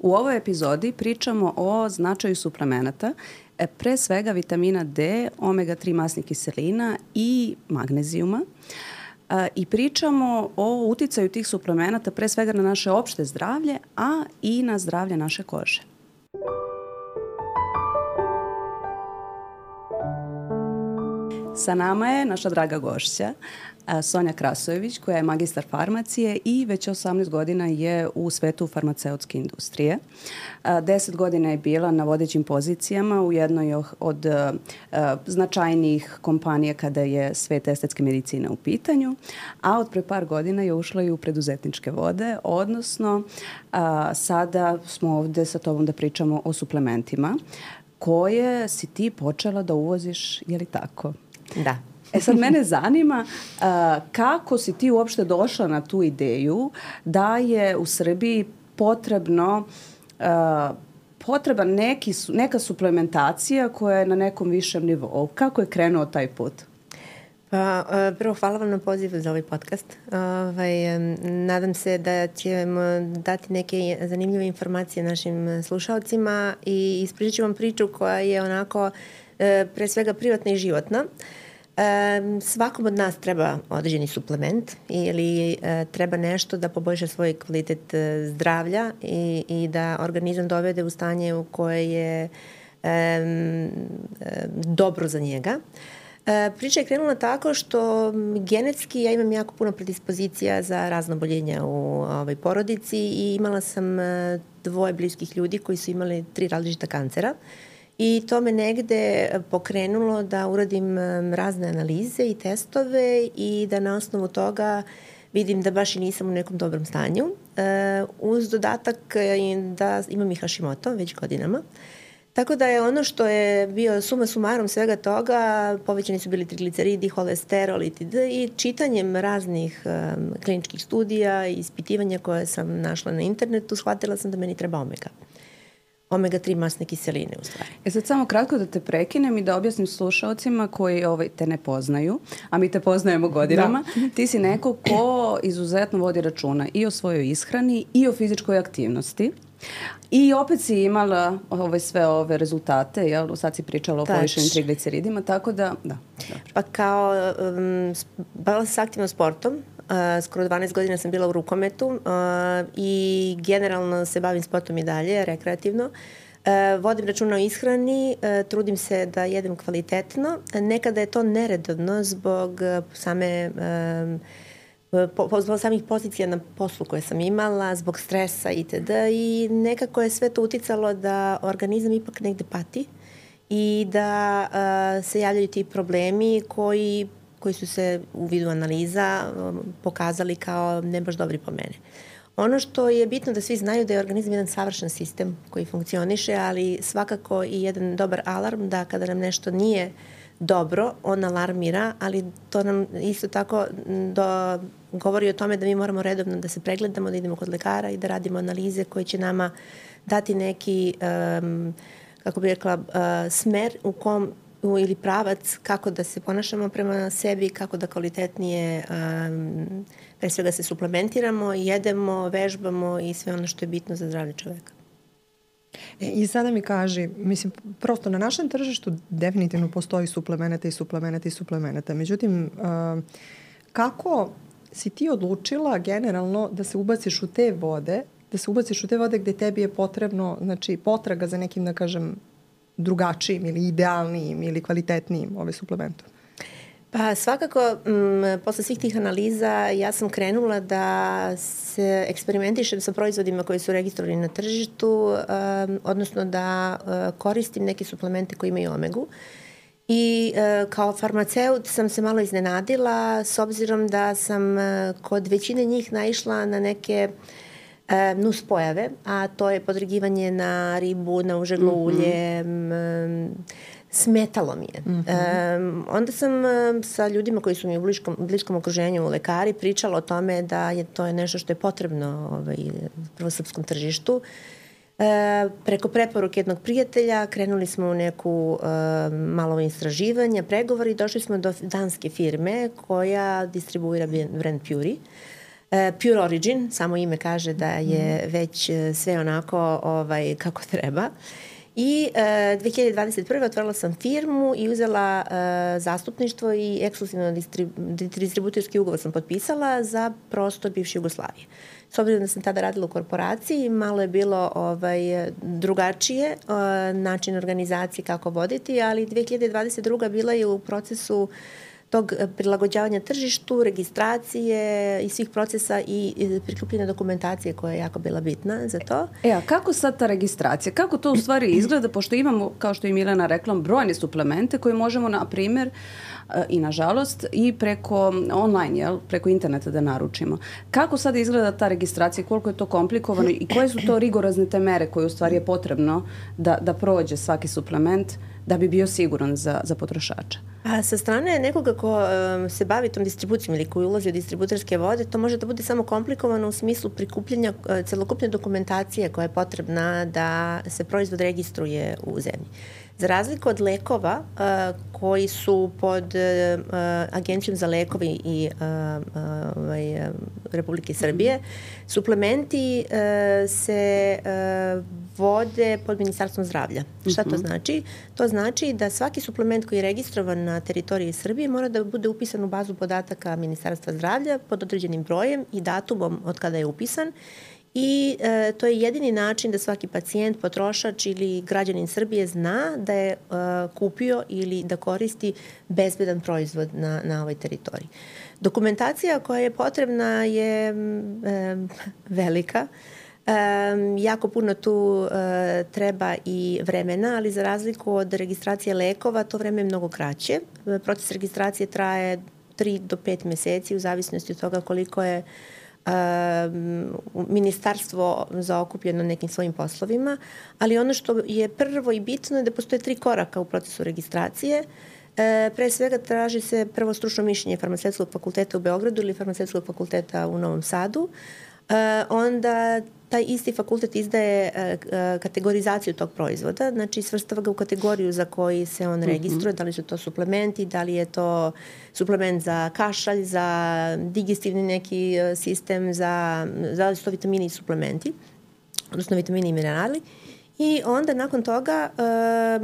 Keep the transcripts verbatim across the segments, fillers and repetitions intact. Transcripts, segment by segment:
U ovoj epizodi pričamo o značaju suplemenata, pre svega vitamina D, omega tri masnih kiselina i magnezijuma. I pričamo o uticaju tih suplemenata pre svega na naše opšte zdravlje, a i na zdravlje naše kože. Sa nama je naša draga gošća, Sonja Krasojević, koja je magistar farmacije i već osamnaest godina je u svetu farmaceutske industrije. deset godina je bila na vodećim pozicijama u jednoj od značajnijih kompanija kada je svet estetske medicine u pitanju, a od pre par godina je ušla i u preduzetničke vode, odnosno sada smo ovde sa tobom da pričamo o suplementima koje si ti počela da uvoziš, je li tako? Da. E sad mene zanima uh, kako si ti uopšte došla na tu ideju da je u Srbiji potrebno uh, potreba neki, neka suplementacija koja je na nekom višem nivou. Kako je krenuo taj put? Pa, prvo, hvala vam na pozivu za ovaj podcast. Ovaj, nadam se da ćemo dati neke zanimljive informacije našim slušalcima i ispričat ću vam priču koja je onako pre svega privatna i životna. Svakom od nas treba određeni suplement ili treba nešto da poboljša svoj kvalitet zdravlja i, i da organizam dovede u stanje u koje je um, dobro za njega. Priča je krenula tako što genetski ja imam jako puno predispozicija za razna oboljenja u ovoj porodici i imala sam dvoje bliskih ljudi koji su imali tri različita kancera. I to me negde pokrenulo da uradim razne analize i testove i da na osnovu toga vidim da baš i nisam u nekom dobrom stanju. Uz dodatak da imam i Hashimoto već godinama. Tako da je ono što je bio suma sumarom svega toga, povećani su bili trigliceridi, holesterol itd. I čitanjem raznih um, kliničkih studija i ispitivanja koje sam našla na internetu, shvatila sam da meni treba omega. omega tri masne kiseline u stvari. E sad samo kratko da te prekinem i da objasnim slušalcima koji ovaj, te ne poznaju, a mi te poznajemo godinama. Da. Ti si neko ko izuzetno vodi računa i o svojoj ishrani i o fizičkoj aktivnosti. I opet si imala ove, sve ove rezultate, jel? Sad si pričala o povišenim trigliceridima, tako da, da. Dobro. Pa kao, um, bavila sam se aktivno sportom, uh, skoro dvanaest godina sam bila u rukometu uh, i generalno se bavim sportom i dalje, rekreativno. Uh, vodim računa o ishrani, uh, trudim se da jedem kvalitetno. Nekada je to neredovno zbog uh, same... Um, Po, po, zbog samih pozicija na poslu koje sam imala, zbog stresa itd. I nekako je sve to uticalo da organizam ipak negde pati i da uh, se javljaju ti problemi koji, koji su se u vidu analiza um, pokazali kao ne baš dobri po mene. Ono što je bitno da svi znaju da je organizam jedan savršen sistem koji funkcioniše, ali svakako i jedan dobar alarm da kada nam nešto nije dobro, on alarmira, ali to nam isto tako do, govori o tome da mi moramo redovno da se pregledamo, da idemo kod lekara i da radimo analize koje će nama dati neki, um, kako bih rekla, uh, smer u kom, u, ili pravac kako da se ponašamo prema sebi, kako da kvalitetnije um, pre svega se suplementiramo, jedemo, vežbamo i sve ono što je bitno za zdravlje čoveka. E, I sada mi kaži, mislim, prosto na našem tržištu definitivno postoji suplemenata i suplemenata i suplemenata. Međutim, uh, kako si ti odlučila generalno da se ubaciš u te vode, da se ubaciš u te vode gde tebi je potrebno, znači, potraga za nekim, da kažem, drugačijim ili idealnijim ili kvalitetnijim ove suplementom? Pa svakako, m, posle svih tih analiza ja sam krenula da se eksperimentišem sa proizvodima koji su registrovani na tržištu, um, odnosno da uh, koristim neke suplemente koji imaju omegu. I uh, kao farmaceut sam se malo iznenadila s obzirom da sam uh, kod većine njih naišla na neke uh, nuspojave, a to je podregivanje na ribu, na užeglo mm-hmm. ulje, um, smetalo mi je. Mm-hmm. Um, onda sam um, sa ljudima koji su mi u bliskom, bliskom okruženju lekari pričala o tome da je to je nešto što je potrebno ovaj, prvo srpskom tržištu. E, preko preporuke jednog prijatelja krenuli smo u neku e, malo istraživanja, pregovori i došli smo do danske firme koja distribuira brand Puri. E, Pure Origin, samo ime kaže da je već sve onako ovaj, kako treba. I e, dve hiljade dvadeset prve otvorila sam firmu i uzela e, zastupništvo i ekskluzivno distrib, distributorski ugovor sam potpisala za prostor bivše Jugoslavije. S obzirom da sam tada radila u korporaciji, malo je bilo ovaj, drugačije e, način organizacije kako voditi, ali dve hiljade dvadeset druga bila je u procesu tog prilagođavanja tržištu, registracije i svih procesa i prikupljene dokumentacije koja je jako bila bitna za to. E, a kako sad ta registracija? Kako to u stvari izgleda? Pošto imamo, kao što je Milena rekla, brojne suplemente koje možemo, na primjer, i nažalost, i preko online, jel, preko interneta da naručimo. Kako sad izgleda ta registracija? Koliko je to komplikovano i koje su to rigorozne te mere koje u stvari je potrebno da, da prođe svaki suplement da bi bio siguran za, za potrošača? A sa strane nekoga ko um, se bavi tom distribucijom ili koji ulazi u distributerske vode, to može da bude samo komplikovano u smislu prikupljanja uh, celokupne dokumentacije koja je potrebna da se proizvod registruje u zemlji. Za razliku od lekova uh, koji su pod uh, Agencijom za lekove i uh, uh, uh, Republike Srbije, suplementi uh, se uh, vode pod Ministarstvom zdravlja. Šta to znači? To znači da svaki suplement koji je registrovan na teritoriji Srbije mora da bude upisan u bazu podataka Ministarstva zdravlja pod određenim brojem i datumom od kada je upisan. I e, to je jedini način da svaki pacijent, potrošač ili građanin Srbije zna da je e, kupio ili da koristi bezbedan proizvod na, na ovoj teritoriji. Dokumentacija koja je potrebna je e, velika. E, jako puno tu e, treba i vremena, ali za razliku od registracije lekova, to vreme je mnogo kraće. Proces registracije traje tri do pet meseci u zavisnosti od toga koliko je ministarstvo zaokupljeno nekim svojim poslovima, ali ono što je prvo i bitno je da postoje tri koraka u procesu registracije. E, pre svega traži se prvo stručno mišljenje Farmaceutskog fakulteta u Beogradu ili Farmaceutskog fakulteta u Novom Sadu. E, onda taj isti fakultet izdaje e, kategorizaciju tog proizvoda, znači svrstava ga u kategoriju za koji se on registruje, mm-hmm. da li su to suplementi, da li je to suplement za kašalj, za digestivni neki sistem, za, da li su to vitamini i suplementi, odnosno vitamini i minerali. I onda nakon toga e,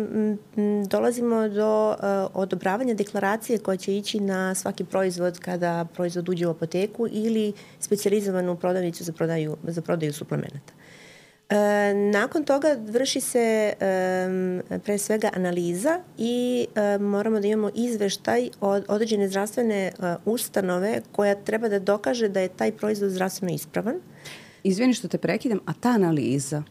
dolazimo do e, odobravanja deklaracije koja će ići na svaki proizvod kada proizvod uđe u apoteku ili specijalizovanu prodavnicu za prodaju, za prodaju suplemenata. E, nakon toga vrši se e, pre svega analiza i e, moramo da imamo izveštaj od određene zdravstvene e, ustanove koja treba da dokaže da je taj proizvod zdravstveno ispravan. Izvini što te prekidam, a ta analiza,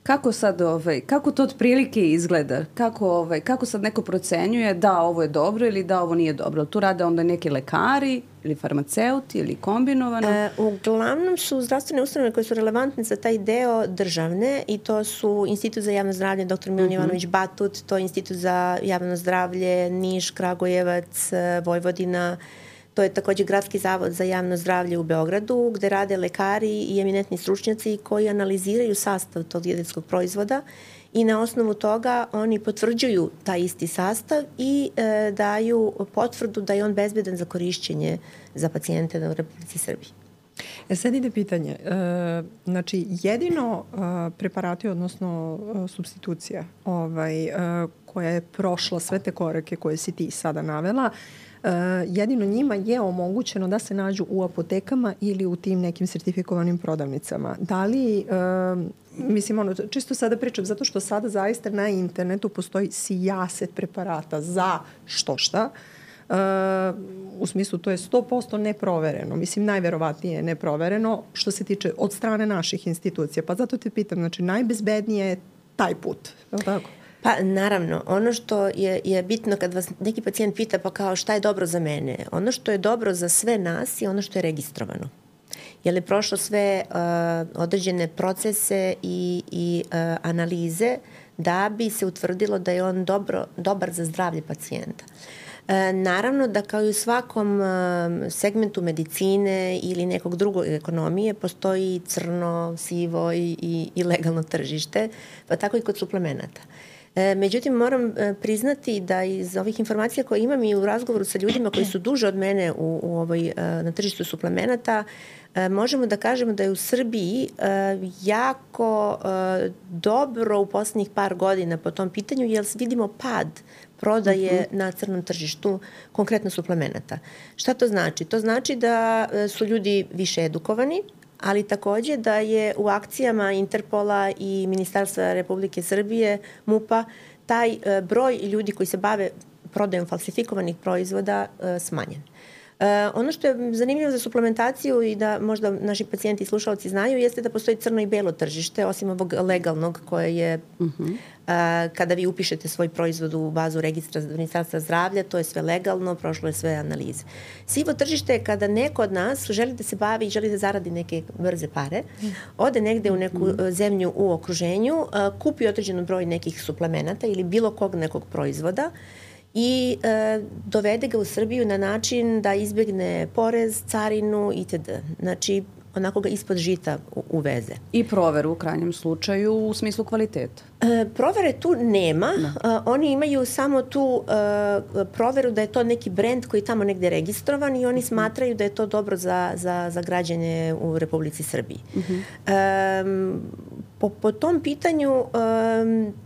kako sad, ovaj, kako to otprilike izgleda? Kako, ovaj, kako sad neko procenjuje da ovo je dobro ili da ovo nije dobro? Tu rade onda neki lekari ili farmaceuti ili kombinovano? E, uglavnom su zdravstvene ustanove koje su relevantne za taj deo državne i to su Institut za javno zdravlje doktor Milan mm-hmm. Jovanović Batut, to je Institut za javno zdravlje Niš, Kragujevac, Vojvodina. To je takođe Gradski zavod za javno zdravlje u Beogradu, gde rade lekari i eminentni stručnjaci koji analiziraju sastav tog dijetetskog proizvoda i na osnovu toga oni potvrđuju taj isti sastav i e, daju potvrdu da je on bezbedan za korišćenje za pacijente u Republici Srbiji. E sad ide pitanje. E, znači, jedino e, preparati, odnosno e, substitucija ovaj, e, koja je prošla sve te korake koje si ti sada navela, Uh, jedino njima je omogućeno da se nađu u apotekama ili u tim nekim sertifikovanim prodavnicama. Da li, uh, mislim, ono, čisto sada pričam, zato što sada zaista na internetu postoji sijaset preparata za što šta, uh, u smislu to je sto posto neprovereno, mislim najverovatnije je neprovereno što se tiče od strane naših institucija, pa zato te pitam, znači najbezbednije je taj put, je li tako? Pa naravno, ono što je, je bitno kad vas neki pacijent pita pa kao šta je dobro za mene, ono što je dobro za sve nas je ono što je registrovano. Je li prošlo sve uh, određene procese i, i uh, analize da bi se utvrdilo da je on dobro, dobar za zdravlje pacijenta. E, naravno da kao i u svakom e, segmentu medicine ili nekog drugog ekonomije postoji crno, sivo i, i, i legalno tržište, pa tako i kod suplemenata. E, međutim, moram e, priznati da iz ovih informacija koje imam i u razgovoru sa ljudima koji su duže od mene u, u ovoj, e, na tržištu suplemenata, e, možemo da kažemo da je u Srbiji e, jako e, dobro u poslednjih par godina po tom pitanju, jer vidimo pad prodaje uh-huh. na crnom tržištu, konkretno suplemenata. Šta to znači? To znači da su ljudi više edukovani, ali takođe da je u akcijama Interpola i Ministarstva Republike Srbije, MUP-a, taj broj ljudi koji se bave prodajom falsifikovanih proizvoda smanjen. Uh, ono što je zanimljivo za suplementaciju i da možda naši pacijenti i slušalci znaju jeste da postoji crno i belo tržište, osim ovog legalnog koje je uh-huh. uh, kada vi upišete svoj proizvod u bazu registra Ministarstva zdravlja, to je sve legalno, prošlo je sve analize. Sivo tržište je kada neko od nas želi da se bavi i želi da zaradi neke brze pare, ode negde u neku uh, zemlju u okruženju, uh, kupi određen broj nekih suplemenata ili bilo kog nekog proizvoda i e, dovede ga u Srbiju na način da izbjegne porez, carinu itd. Znači, onako ga ispod žita uveze. I proveru u krajnjem slučaju u smislu kvaliteta. E, provere tu nema. E, oni imaju samo tu e, proveru da je to neki brend koji je tamo negde registrovan i oni smatraju da je to dobro za, za, za građane u Republici Srbiji. Uh-huh. E, po, po tom pitanju e,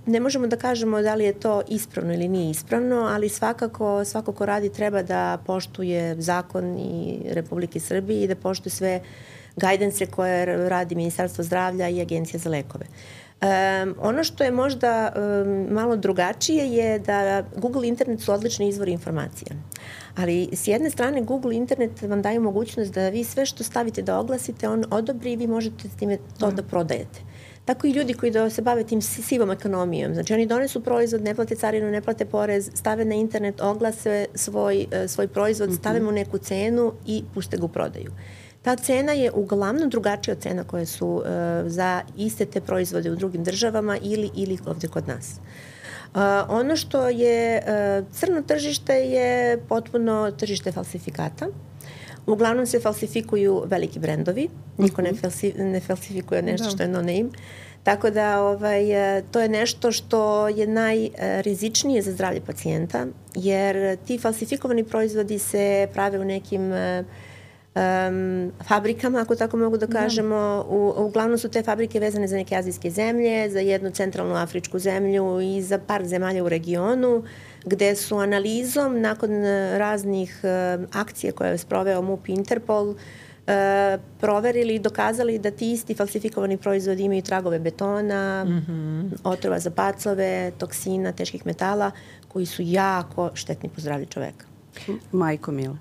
ne možemo da kažemo da li je to ispravno ili nije ispravno, ali svakako svako ko radi treba da poštuje zakon i Republike Srbije i da poštuje sve gajdense koje radi Ministarstvo zdravlja i Agencija za lekove. Um, ono što je možda um, malo drugačije je da Google Internet su odlični izvori informacija. Ali s jedne strane Google Internet vam daje mogućnost da vi sve što stavite da oglasite, on odobri i vi možete s time to da prodajete. Tako i ljudi koji da se bave tim sivom ekonomijom. Znači oni donesu proizvod, ne plate carinu, ne plate porez, stave na internet, oglase svoj, svoj proizvod, stave mu neku cenu i puste ga u prodaju. Ta cena je uglavnom drugačija od cena koje su uh, za iste te proizvode u drugim državama ili, ili ovde kod nas. Uh, ono što je uh, crno tržište je potpuno tržište falsifikata. Uglavnom se falsifikuju veliki brendovi. Niko ne, falsi, ne falsifikuje nešto što je no name. Tako da ovaj, to je nešto što je najrizičnije za zdravlje pacijenta, jer ti falsifikovani proizvodi se prave u nekim Um, fabrikama, ako tako mogu da kažemo. U, uglavnom su te fabrike vezane za neke azijske zemlje, za jednu centralnu afričku zemlju i za par zemalja u regionu, gde su analizom nakon raznih uh, akcija koje je sproveo MUP i Interpol uh, proverili i dokazali da ti isti falsifikovani proizvodi imaju tragove betona, mm-hmm. otrova za pacove, toksina, teških metala, koji su jako štetni po zdravlju čoveka. Majko mila.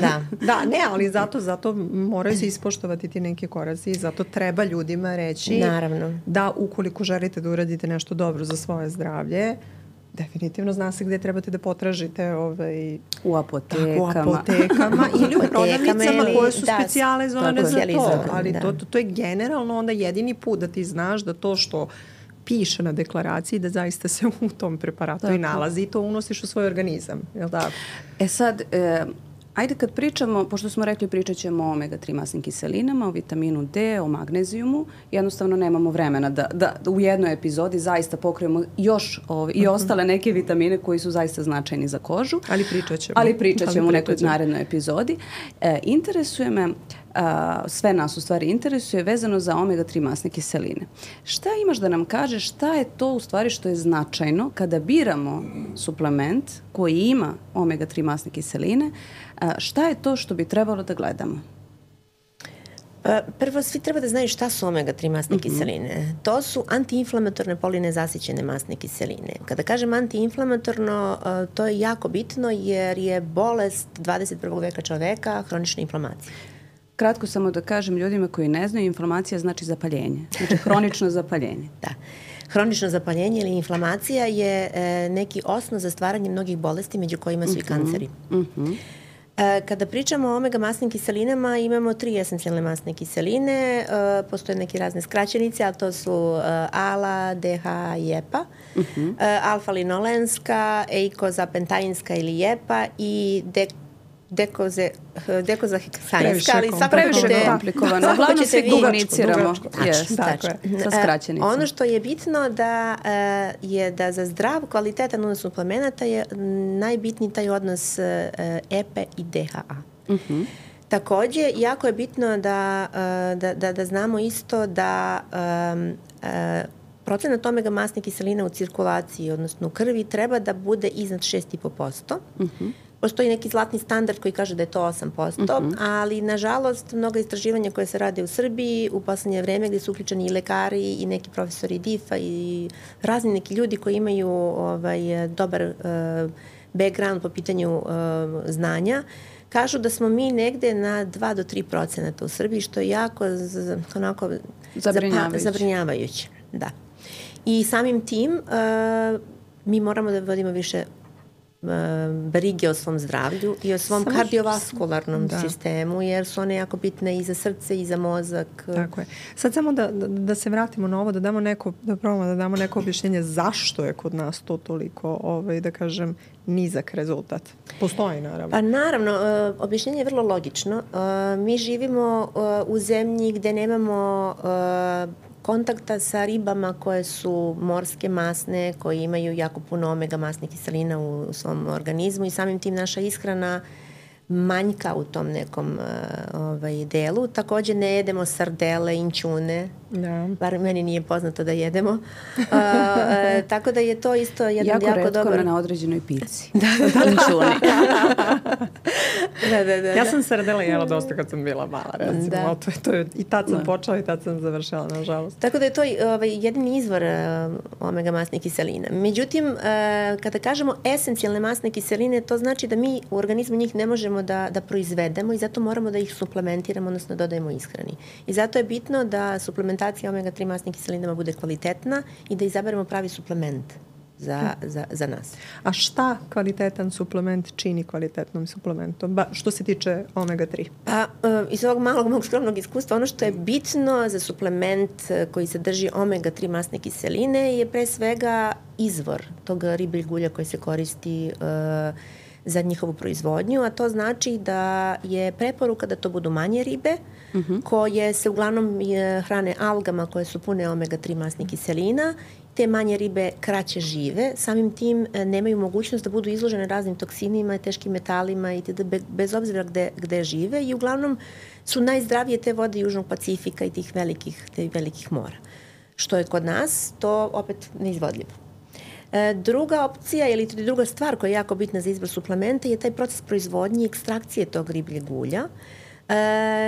da. Da, ne, ali zato, zato moraju se ispoštovati ti neke koraci i zato treba ljudima reći Naravno. da ukoliko želite da uradite nešto dobro za svoje zdravlje, definitivno zna se gde trebate da potražite ovaj, u apotekama, tako, u apotekama ili u prodavnicama koje su da, specijalizovane za to. Ali da. to, to, to je generalno onda jedini put da ti znaš da to što piše na deklaraciji da zaista se u tom preparatu tako. i nalazi i to unosiš u svoj organizam. Je li tako? E sad, e, ajde kad pričamo, pošto smo rekli pričat ćemo o omega tri masnim kiselinama, o vitaminu D, o magnezijumu, jednostavno nemamo vremena da, da, da u jednoj epizodi zaista pokrijemo još ove, i ostale neke vitamine koji su zaista značajni za kožu. Ali pričat ćemo. Ali pričat ćemo u nekoj narednoj epizodi. E, interesuje me, a, sve nas u stvari interesuje vezano za omega tri masne kiseline. Šta imaš da nam kažeš šta je to u stvari što je značajno kada biramo suplement koji ima omega tri masne kiseline, a, šta je to što bi trebalo da gledamo? Prvo, svi treba da znaju šta su omega tri masne mm-hmm. kiseline. To su antiinflamatorne polinezasićene masne kiseline. Kada kažem antiinflamatorno, to je jako bitno jer je bolest dvadeset prvog veka čoveka hronična inflamacija. Kratko samo da kažem ljudima koji ne znaju, inflamacija znači zapaljenje. Znači hronično zapaljenje. Da. Hronično zapaljenje ili inflamacija je e, neki osnov za stvaranje mnogih bolesti, među kojima su mm-hmm. i kanceri. Mm-hmm. E, kada pričamo o omega masnim kiselinama, imamo tri esencijalne masne kiseline. E, postoje neke razne skraćenice, a to su e, ALA, D H i E P A. Mm-hmm. E, alfa-linolenska, eikozapentainska ili E P A i dek dekoze, dekozaheksanska, ali svakako previše ćete... komplikovano. Uglavnom se komuniciramo yes, sa skraćenicom. Ono što je bitno da je da za zdrav, kvalitetan odnos suplemenata je najbitniji taj odnos E P A i D H A. Uh-huh. Takođe, jako je bitno da, da, da, da znamo isto da um, uh, procenat omega masnih kiselina u cirkulaciji, odnosno u krvi, treba da bude iznad šest i po posto. Uh-huh. Postoji neki zlatni standard koji kaže da je to osam posto, uh-huh. ali nažalost mnoga istraživanja koje se rade u Srbiji u poslednje vreme gde su uključeni i lekari i neki profesori D I F-a i razni neki ljudi koji imaju ovaj, dobar uh, background po pitanju uh, znanja, kažu da smo mi negde na dva do tri procenata u Srbiji, što je jako z, onako zabrinjavajuće. zabrinjavajuće. Da. I samim tim uh, mi moramo da vodimo više brige o svom zdravlju i o svom Samo kardiovaskularnom da. sistemu, jer su one jako bitne i za srce i za mozak. Tako je. Sad samo da, da, da se vratimo na ovo, da damo neko, da probamo da damo neko objašnjenje zašto je kod nas to toliko, ovaj, da kažem, nizak rezultat. Postoji, naravno. Pa naravno, uh, objašnjenje je vrlo logično. Uh, mi živimo uh, u zemlji gde nemamo uh, kontakta sa ribama koje su morske, masne, koje imaju jako puno omega masnih kiselina u, u svom organizmu i samim tim naša ishrana manjka u tom nekom uh, ovaj, delu. Takođe ne jedemo sardele, inćune, da. Bar meni nije poznato da jedemo. Uh, uh, tako da je to isto jedan jako, jako dobar... Jako retko na određenoj pici. Da, da, inćuni. da, da, da, ja sam sardele jela dosta kad sam bila mala, recimo. Da. To je, to je, I tad sam da. počela i tad sam završala, nažalost. Tako da je to ovaj, jedini izvor uh, omega masnih kiselina. Međutim, uh, kada kažemo esencijalne masne kiseline, to znači da mi u organizmu njih ne možemo Da, da proizvedemo i zato moramo da ih suplementiramo, odnosno dodajemo ishrani. I zato je bitno da suplementacija omega tri masnih kiselinama bude kvalitetna i da izaberemo pravi suplement za, hmm. za, za nas. A šta kvalitetan suplement čini kvalitetnom suplementom, ba, što se tiče omega tri? Pa, uh, iz ovog malog mog skromnog iskustva, ono što je bitno za suplement koji sadrži omega tri masne kiseline je pre svega izvor tog ribljeg ulja koji se koristi uh, za njihovu proizvodnju, a to znači da je preporuka da to budu manje ribe, uh-huh. koje se uglavnom hrane algama koje su pune omega tri masnih kiselina. Te manje ribe kraće žive, samim tim nemaju mogućnost da budu izložene raznim toksinima, teškim metalima i itd. Bez obzira gde, gde žive i uglavnom su najzdravije te vode Južnog Pacifika i tih velikih, tih velikih mora. Što je kod nas, to opet neizvodljivo. Druga opcija ili druga stvar koja je jako bitna za izbor suplementa je taj proces proizvodnje i ekstrakcije tog ribljeg ulja,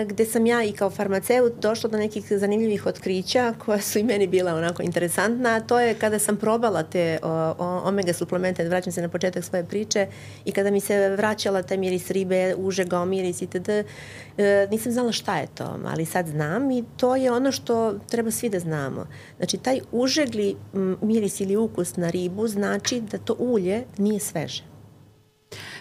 gde sam ja i kao farmaceut došla do nekih zanimljivih otkrića koja su i meni bila onako interesantna, a to je kada sam probala te o, o, omega suplemente, da vraćam se na početak svoje priče, i kada mi se vraćala taj miris ribe, užega, miris itd., e, nisam znala šta je to, ali sad znam i to je ono što treba svi da znamo. Znači, taj užegli miris ili ukus na ribu znači da to ulje nije sveže.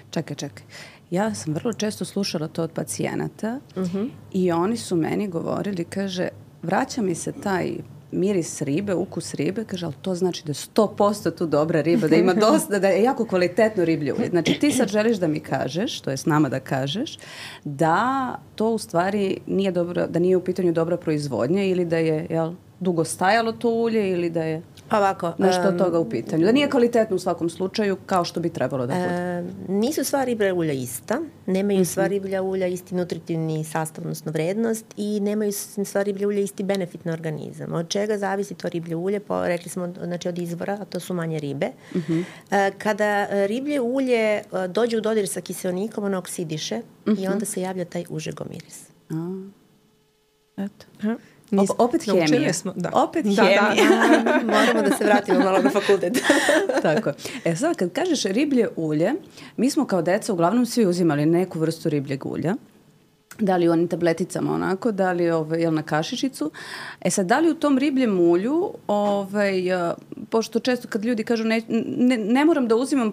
Čekaj, čekaj. Ja sam vrlo često slušala to od pacijenata uh-huh. i oni su meni govorili, kaže, vraća mi se taj miris ribe, ukus ribe, kaže, ali to znači da je sto posto tu dobra riba, da ima dosta, da je jako kvalitetno riblje ulje. Znači, ti sad želiš da mi kažeš, to je s nama da kažeš, da to u stvari nije dobro, da nije u pitanju dobra proizvodnja ili da je, jel, dugo stajalo to ulje ili da je... Ovako, nešto od toga u pitanju. Da nije kvalitetno u svakom slučaju kao što bi trebalo da bude. Um, nisu sva riblja ulja ista. Nemaju uh-huh. sva riblja ulja isti nutritivni sastav, odnosno vrednost, i nemaju sva riblja ulja isti benefit na organizam. Od čega zavisi to riblje ulje? Po, rekli smo, znači od izvora, a to su manje ribe. Uh-huh. Uh, kada riblje ulje uh, dođe u dodir sa kiseonikom, ono oksidiše uh-huh. i onda se javlja taj užegomiris. A, eto. Uh-huh. Op, opet hemija. Smo, da. Opet da, hemija. Da, da. Moramo da se vratimo malo na fakultet. Tako. E sad, kad kažeš riblje ulje, mi smo kao deca uglavnom svi uzimali neku vrstu ribljeg ulja. Da li u onim tableticama onako, da li ovaj, jel na kašičicu. E sad, da li u tom ribljem ulju, ovaj, pošto često kad ljudi kažu ne, ne, ne moram da uzimam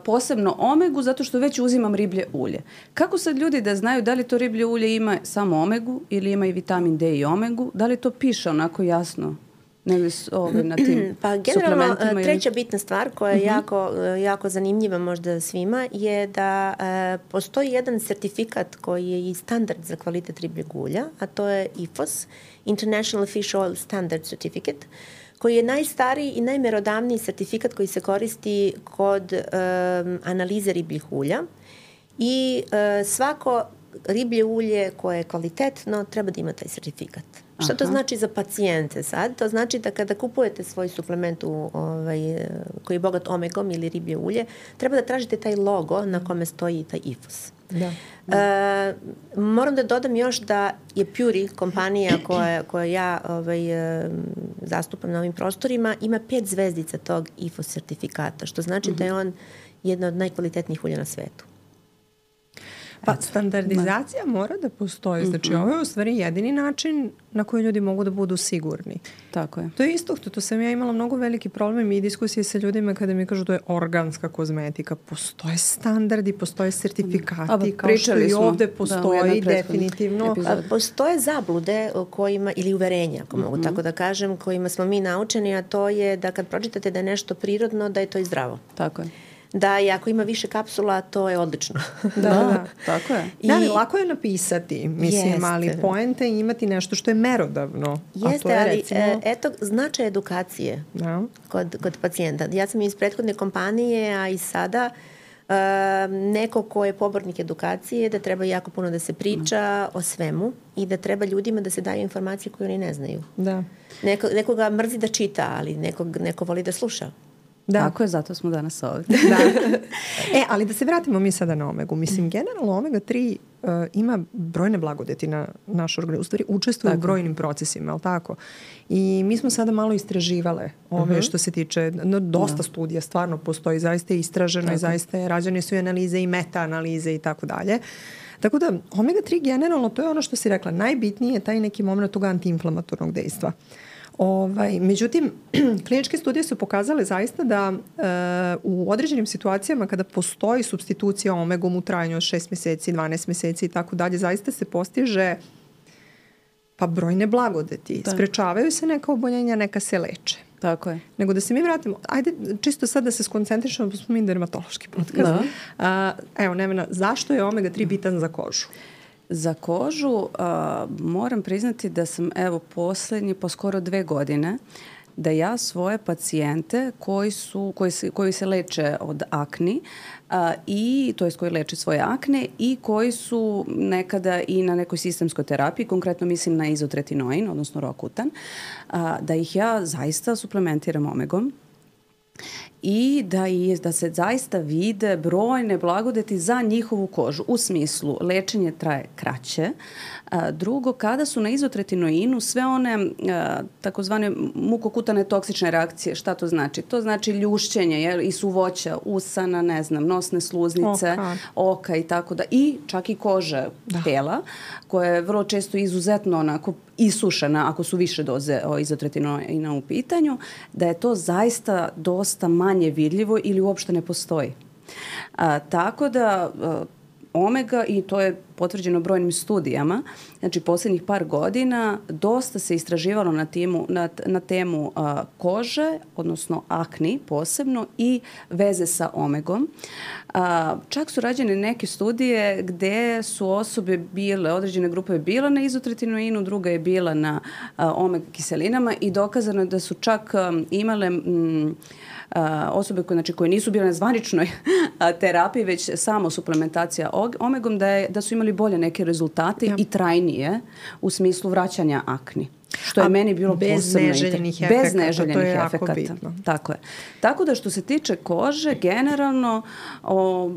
posebno omegu zato što već uzimam riblje ulje. Kako sad ljudi da znaju da li to riblje ulje ima samo omegu ili ima i vitamin D i omegu? Da li to piše onako jasno nego ovaj, na tim pa generalno suplementima? treća bitna stvar koja je uh-huh. jako, jako zanimljiva možda svima je da e, postoji jedan sertifikat koji je i standard za kvalitet ribljeg ulja, a to je I F O S, International Fish Oil Standard Certificate, koji je najstariji i najmerodavniji sertifikat koji se koristi kod um, analize ribljih ulja i uh, svako riblje ulje koje je kvalitetno treba da ima taj sertifikat. Aha. Šta to znači za pacijente sad? To znači da kada kupujete svoj suplement u, ovaj, koji je bogat omegom ili riblje ulje, treba da tražite taj logo na kome stoji taj I F O S. Da. E, moram da dodam još da je Puri, kompanija koja, koja ja ovaj, zastupam na ovim prostorima, ima pet zvezdica tog I F O S sertifikata, što znači mm-hmm. da je on jedna od najkvalitetnijih ulja na svetu. Pa standardizacija mora da postoji. Znači mm-hmm. ovo je u stvari jedini način na koji ljudi mogu da budu sigurni. Tako je. To je isto, to, to sam ja imala mnogo veliki problem i diskusije sa ljudima kada mi kažu da je organska kozmetika. Postoje standardi, postoje sertifikati, mm. kao što i ovde postoji da, definitivno. A, postoje zablude kojima, ili uverenja, ako mogu mm-hmm. tako da kažem, kojima smo mi naučeni, a to je da kad pročitate da je nešto prirodno, da je to i zdravo. Tako je. Da i ako ima više kapsula, to je odlično. Da, da, tako je. I, da, ali lako je napisati, mislim, jeste. Ali poenta je imati nešto što je merodavno. Jeste, a to je, ali recimo... eto, značaj edukacije da. kod, kod pacijenta. Ja sam iz prethodne kompanije, a i sada uh, neko ko je pobornik edukacije, da treba jako puno da se priča o svemu i da treba ljudima da se daju informacije koje oni ne znaju. Da. Neko, nekoga mrzi da čita, ali nekog, neko voli da sluša. Da. Tako je, zato smo danas ovdje. Da. E, ali da se vratimo mi sada na omegu. Mislim, generalno omega tri uh, ima brojne blagodeti na naš organizam. U stvari, učestvuje tako u brojnim procesima, ali tako? I mi smo sada malo istraživale ove uh-huh. što se tiče, no, dosta da. studija stvarno postoji, zaista je istraženo tako. I zaista je, rađene su i analize i meta-analize i tako dalje. Tako da, omega tri generalno, to je ono što si rekla, najbitnije je taj neki moment tog antiinflamatornog dejstva. Ovaj, međutim, kliničke studije su pokazale zaista da e, u određenim situacijama kada postoji supstitucija omegom u trajanju od šest mjeseci, dvanaest mjeseci i tako dalje, zaista se postiže pa brojne blagodeti. Da. Sprečavaju se neka oboljenja, neka se leče. Tako je. Nego da se mi vratimo, ajde čisto sad da se skoncentrišemo, pa smo mi dermatološki podcast. Da. A, evo, Nevena, zašto je omega tri bitan za kožu? Za kožu uh, moram priznati da sam evo posljednji po skoro dve godine da ja svoje pacijente koji su koji se, koji se leče od akni uh, i to jest koji leče svoje akne i koji su nekada i na nekoj sistemskoj terapiji, konkretno mislim na izotretinoin, odnosno Roacutan, uh, da ih ja zaista suplementiram omegom. I da, je, da se zaista vide brojne blagodeti za njihovu kožu. U smislu, lečenje traje kraće. A, drugo, kada su na izotretinoinu sve one a, takozvane mukokutane toksične reakcije, šta to znači? To znači ljušćenje jel, i suvoća, usana, ne znam, nosne sluznice, oka, oka i tako da. I čak i kože da. tela, koja je vrlo često izuzetno onako isušena ako su više doze izotretinoina u pitanju, da je to zaista dosta manje vidljivo ili uopšte ne postoji. A, tako da a, omega, i to je potvrđeno brojnim studijama, znači posljednjih par godina dosta se istraživalo na, timu, na, na temu a, kože, odnosno akni posebno i veze sa omegom. A, čak su rađene neke studije gde su osobe bile, određene grupe bile na izotretinoinu, druga je bila na a, omega kiselinama i dokazano je da su čak a, imale m, a, osobe koje, znači, koje nisu bile na zvaničnoj a, terapiji, već samo suplementacija omegom, da, je, da su imali bolje neke rezultate ja. i trajnije u smislu vraćanja akni. Što je A meni bilo bez posebno neželjenih efekata. Bez neželjenih to je efekata. Bitno. Tako je. Tako da što se tiče kože, generalno o,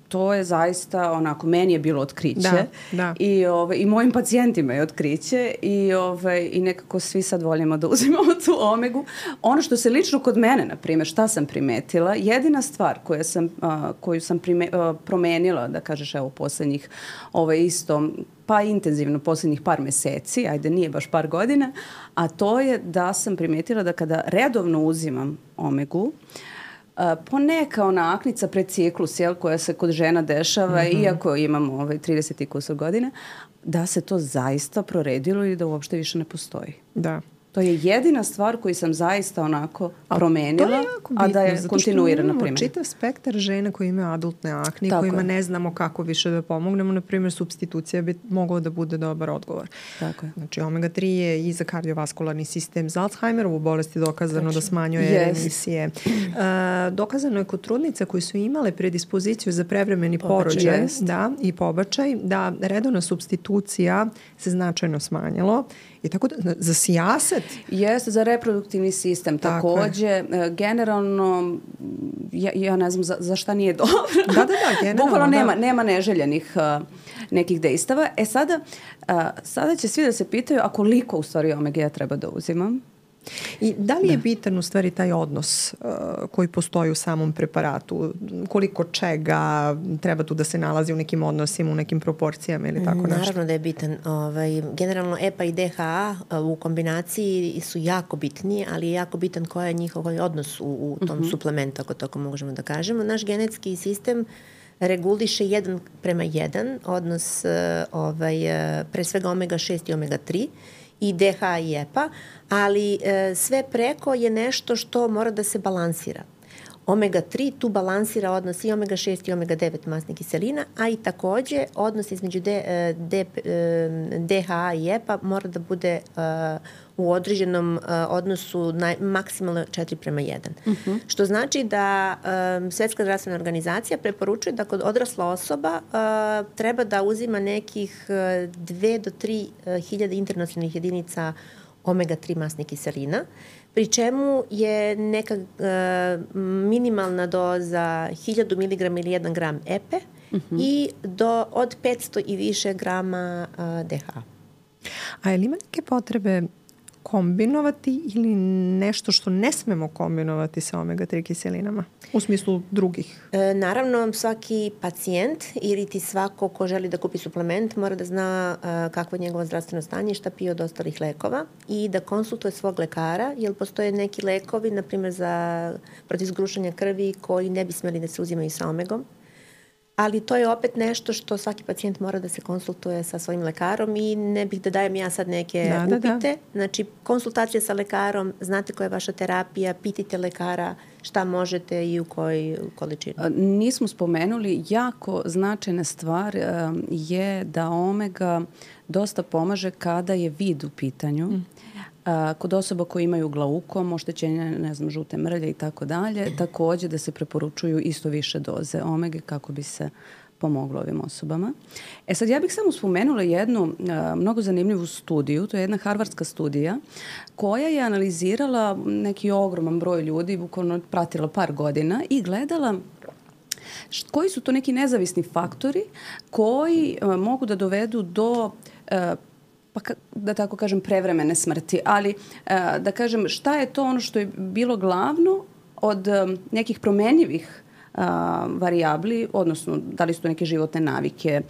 to je zaista onako, meni je bilo otkriće. Da, da. I, ove, i mojim pacijentima je otkriće i, ove, i nekako svi sad volimo da uzimamo tu omegu. Ono što se lično kod mene, na primjer, šta sam primetila, jedina stvar koja sam, a, koju sam prime, a, promenila, da kažeš evo posljednjih ove, isto pa intenzivno posljednjih par meseci, ajde nije baš par godina, a to je da sam primijetila da kada redovno uzimam omegu, uh, poneka ona aknica pred ciklus, jel, koja se kod žena dešava, mm-hmm. iako imamo ovaj, trideset i kusur godina, da se to zaista proredilo i da uopšte više ne postoji. Da. To je jedina stvar koju sam zaista onako promenila, a, a da je kontinuirana primjena. Imamo čitav spektar žena koji imaju adultne akne, kojima je. ne znamo kako više da pomognemo. Na primjer, supstitucija bi mogla da bude dobar odgovor. Tako je. Znači, omega tri je i za kardiovaskularni sistem. Za Alzheimerovu bolest je dokazano Tačno. da smanjuje yes. emisije. Uh, dokazano je kod trudnica koji su imale predispoziciju za prevremeni porođaj yes. da, i pobačaj, da redovna supstitucija se značajno smanjilo. I tako da, za sijaset. Jeste, za reproduktivni sistem tako takođe. Je. Generalno, ja, ja ne znam za, za šta nije dobro. Da, da, da, generalno. Bukvalno nema, da. nema neželjenih uh, nekih dejstava. E sada, uh, sada će svi da se pitaju, a koliko u stvari omega treba da uzimam? I da li je da. bitan u stvari taj odnos uh, koji postoji u samom preparatu? Koliko čega treba tu da se nalazi u nekim odnosima, u nekim proporcijama ili tako nešto? Naravno da je bitan. Ovaj, generalno E P A i D H A u kombinaciji su jako bitni, ali je jako bitan koji je njihov odnos u, u tom uh-huh. suplementu, ako tako možemo da kažemo. Naš genetski sistem reguliše jedan prema jedan odnos uh, ovaj, uh, pre svega omega šest i omega tri i D H A i E P A, ali e, sve preko je nešto što mora da se balansira. omega tri tu balansira odnos i omega šest i omega devet masnih kiselina, a i takođe odnos između D, D, D H A i E P A mora da bude uh, u određenom uh, odnosu naj, maksimalno četiri prema jedan. Uh-huh. Što znači da um, Svetska zdravstvena organizacija preporučuje da kod odrasla osoba uh, treba da uzima nekih dve do tri hiljade internacionalnih jedinica omega tri masnih kiselina, pri čemu je neka uh, minimalna doza hiljadu miligrama ili jedan gram E P E uh-huh. i do, od petsto i više grama uh, D H A. A je li ima neke potrebe kombinovati ili nešto što ne smemo kombinovati sa omega tri kiselinama u smislu drugih? E, naravno, svaki pacijent ili ti svako ko želi da kupi suplement mora da zna e, kakvo je njegovo zdravstveno stanje i šta pije od ostalih lekova i da konsultuje svog lekara, jer postoje neki lekovi, na primjer za protiv zgrušanja krvi, koji ne bi smeli da se uzimaju sa omegom. Ali to je opet nešto što svaki pacijent mora da se konsultuje sa svojim lekarom i ne bih da dajem ja sad neke da, upite. Da, da. Znači, konsultacija sa lekarom, znate koja je vaša terapija, pitajte lekara šta možete i u kojoj količini. Nismo spomenuli, jako značajna stvar je da omega dosta pomaže kada je vid u pitanju. Mm. A, kod osoba koji imaju glaukom, oštećenje, ne znam, žute mrlje i tako dalje, takođe da se preporučuju isto više doze omege kako bi se pomoglo ovim osobama. E sad, ja bih samo spomenula jednu a, mnogo zanimljivu studiju, to je jedna harvardska studija koja je analizirala neki ogroman broj ljudi, bukvalno pratila par godina i gledala koji su to neki nezavisni faktori koji a, mogu da dovedu do a, pa da tako kažem prevremene smrti, ali da kažem šta je to ono što je bilo glavno od nekih promenjivih varijabli, odnosno da li su to neke životne navike,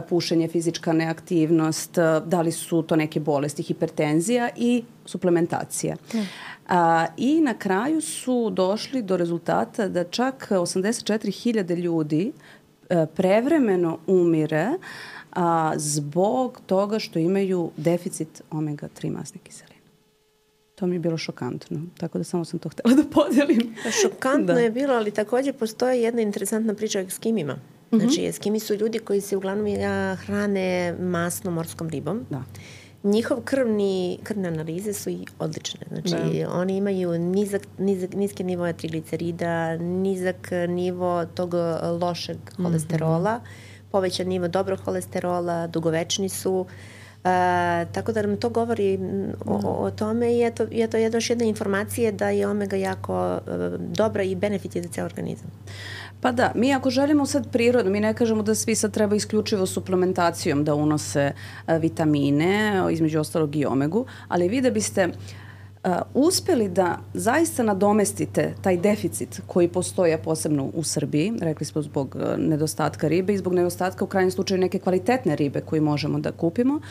pušenje, fizička neaktivnost, da li su to neke bolesti, hipertenzija i suplementacija. Mm. A, I na kraju su došli do rezultata da čak osamdeset četiri hiljade ljudi prevremeno umire a, zbog toga što imaju deficit omega tri masnih kiselina. To mi je bilo šokantno, tako da samo sam to htjela da podelim. Šokantno da. je bilo, ali također postoji jedna interesantna priča o eskimima. Znači, mm-hmm. eskimi su ljudi koji se uglavnom hrane masnom morskom ribom. Da. Njihov krvni, krvne analize su i odlične. Znači, da. oni imaju nizak, nizak, niske nivoje triglicerida, nizak nivo tog lošeg mm-hmm. holesterola, povećan nivo dobrog holesterola, dugovečni su. Uh, tako da nam to govori o, o tome i eto, eto je još jedna informacija da je omega jako uh, dobra i benefit je za ceo organizam. Pa da, mi ako želimo sad prirodno, mi ne kažemo da svi sad treba isključivo suplementacijom da unose uh, vitamine, između ostalog i omegu, ali vi da biste Uh, uspeli da zaista nadomestite taj deficit koji postoji, posebno u Srbiji, rekli smo zbog uh, nedostatka ribe i zbog nedostatka u krajnjem slučaju neke kvalitetne ribe koje možemo da kupimo.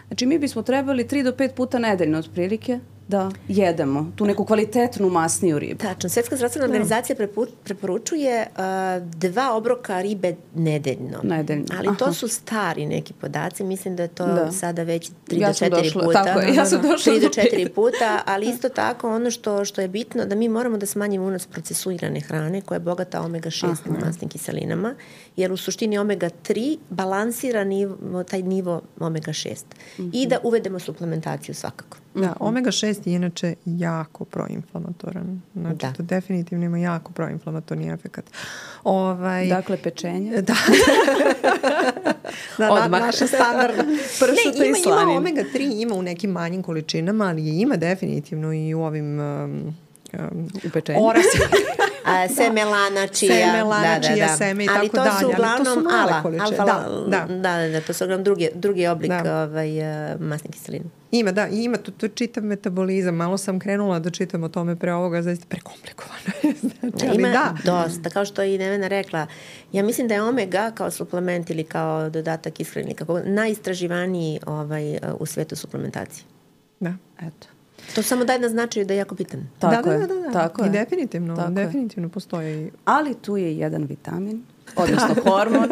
Znači mi bismo trebali tri do pet puta nedeljno otprilike da jedemo tu neku kvalitetnu masniju ribu. Tačno. Svetska zdravstvena organizacija prepu, preporučuje uh, dva obroka ribe nedeljno. Nedeljno. Ali Aha. to su stari neki podaci. Mislim da je to da. sada već tri ja do četiri došla, puta. Tako je, ja sam došla tri do četiri puta, ali isto tako ono što, što je bitno da mi moramo da smanjimo unos procesuirane hrane koja je bogata omega šest masnim kiselinama, jer u suštini omega tri balansira nivo, taj nivo omega šest. Mm-hmm. I da uvedemo suplementaciju svakako. Da, omega šest je inače jako proinflamatoran. Znači, da. To definitivno ima jako proinflamatorni efekat. Ovaj, dakle, pečenje. Da. da Odmah. Na, naša standardna pršuta ne, ima, i slanin. Ima omega tri, ima u nekim manjim količinama, ali je ima definitivno i u ovim um, um, u pečenju. Orasi. A, semelana, čija. Semelana, da, da, čija, da. seme i ali tako to dalje. Su uglavnom, ali to su male ala, količine. Alfa, da, da. Da, da, da, to su uglavnom drugi, drugi oblik da. ovaj, uh, masne kiseline. Ima, da, ima, to, to čitav metabolizam. Malo sam krenula da čitam o tome pre ovoga, zaista prekomplikovano je. Znači, ali ima da. dosta, kao što je i Nevena rekla. Ja mislim da je omega kao suplement ili kao dodatak ishrani, kako najistraživaniji ovaj, u svetu suplementacije. Da. Eto. To samo daje na značaju da je jako bitan. Tako da, je. da, da, da. Tako I je. definitivno, Tako definitivno postoji. Ali tu je jedan vitamin, odnosno hormon,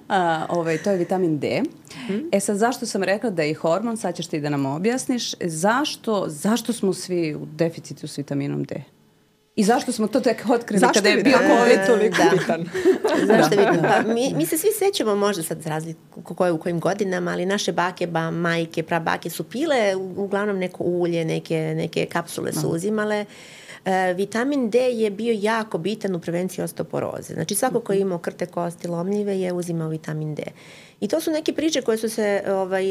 a, ovaj, to je vitamin D. Hmm. E sad, zašto sam rekla da je i hormon, sad ćeš ti da nam objasniš, zašto, zašto smo svi u deficitu s vitaminom D? I zašto smo to tek otkrili zašto kada je bio COVID toliko da. bitan? Zašto je bitan? Pa, mi, mi se svi sećamo možda sad za razliku koje u kojim godinama, ali naše bake, ba, majke, prabake su pile uglavnom neko ulje, neke, neke kapsule su uzimale. E, vitamin D je bio jako bitan u prevenciji osteoporoze. Znači svako ko je imao krte kosti lomljive je uzimao vitamin D. I to su neke priče koje su se ovaj,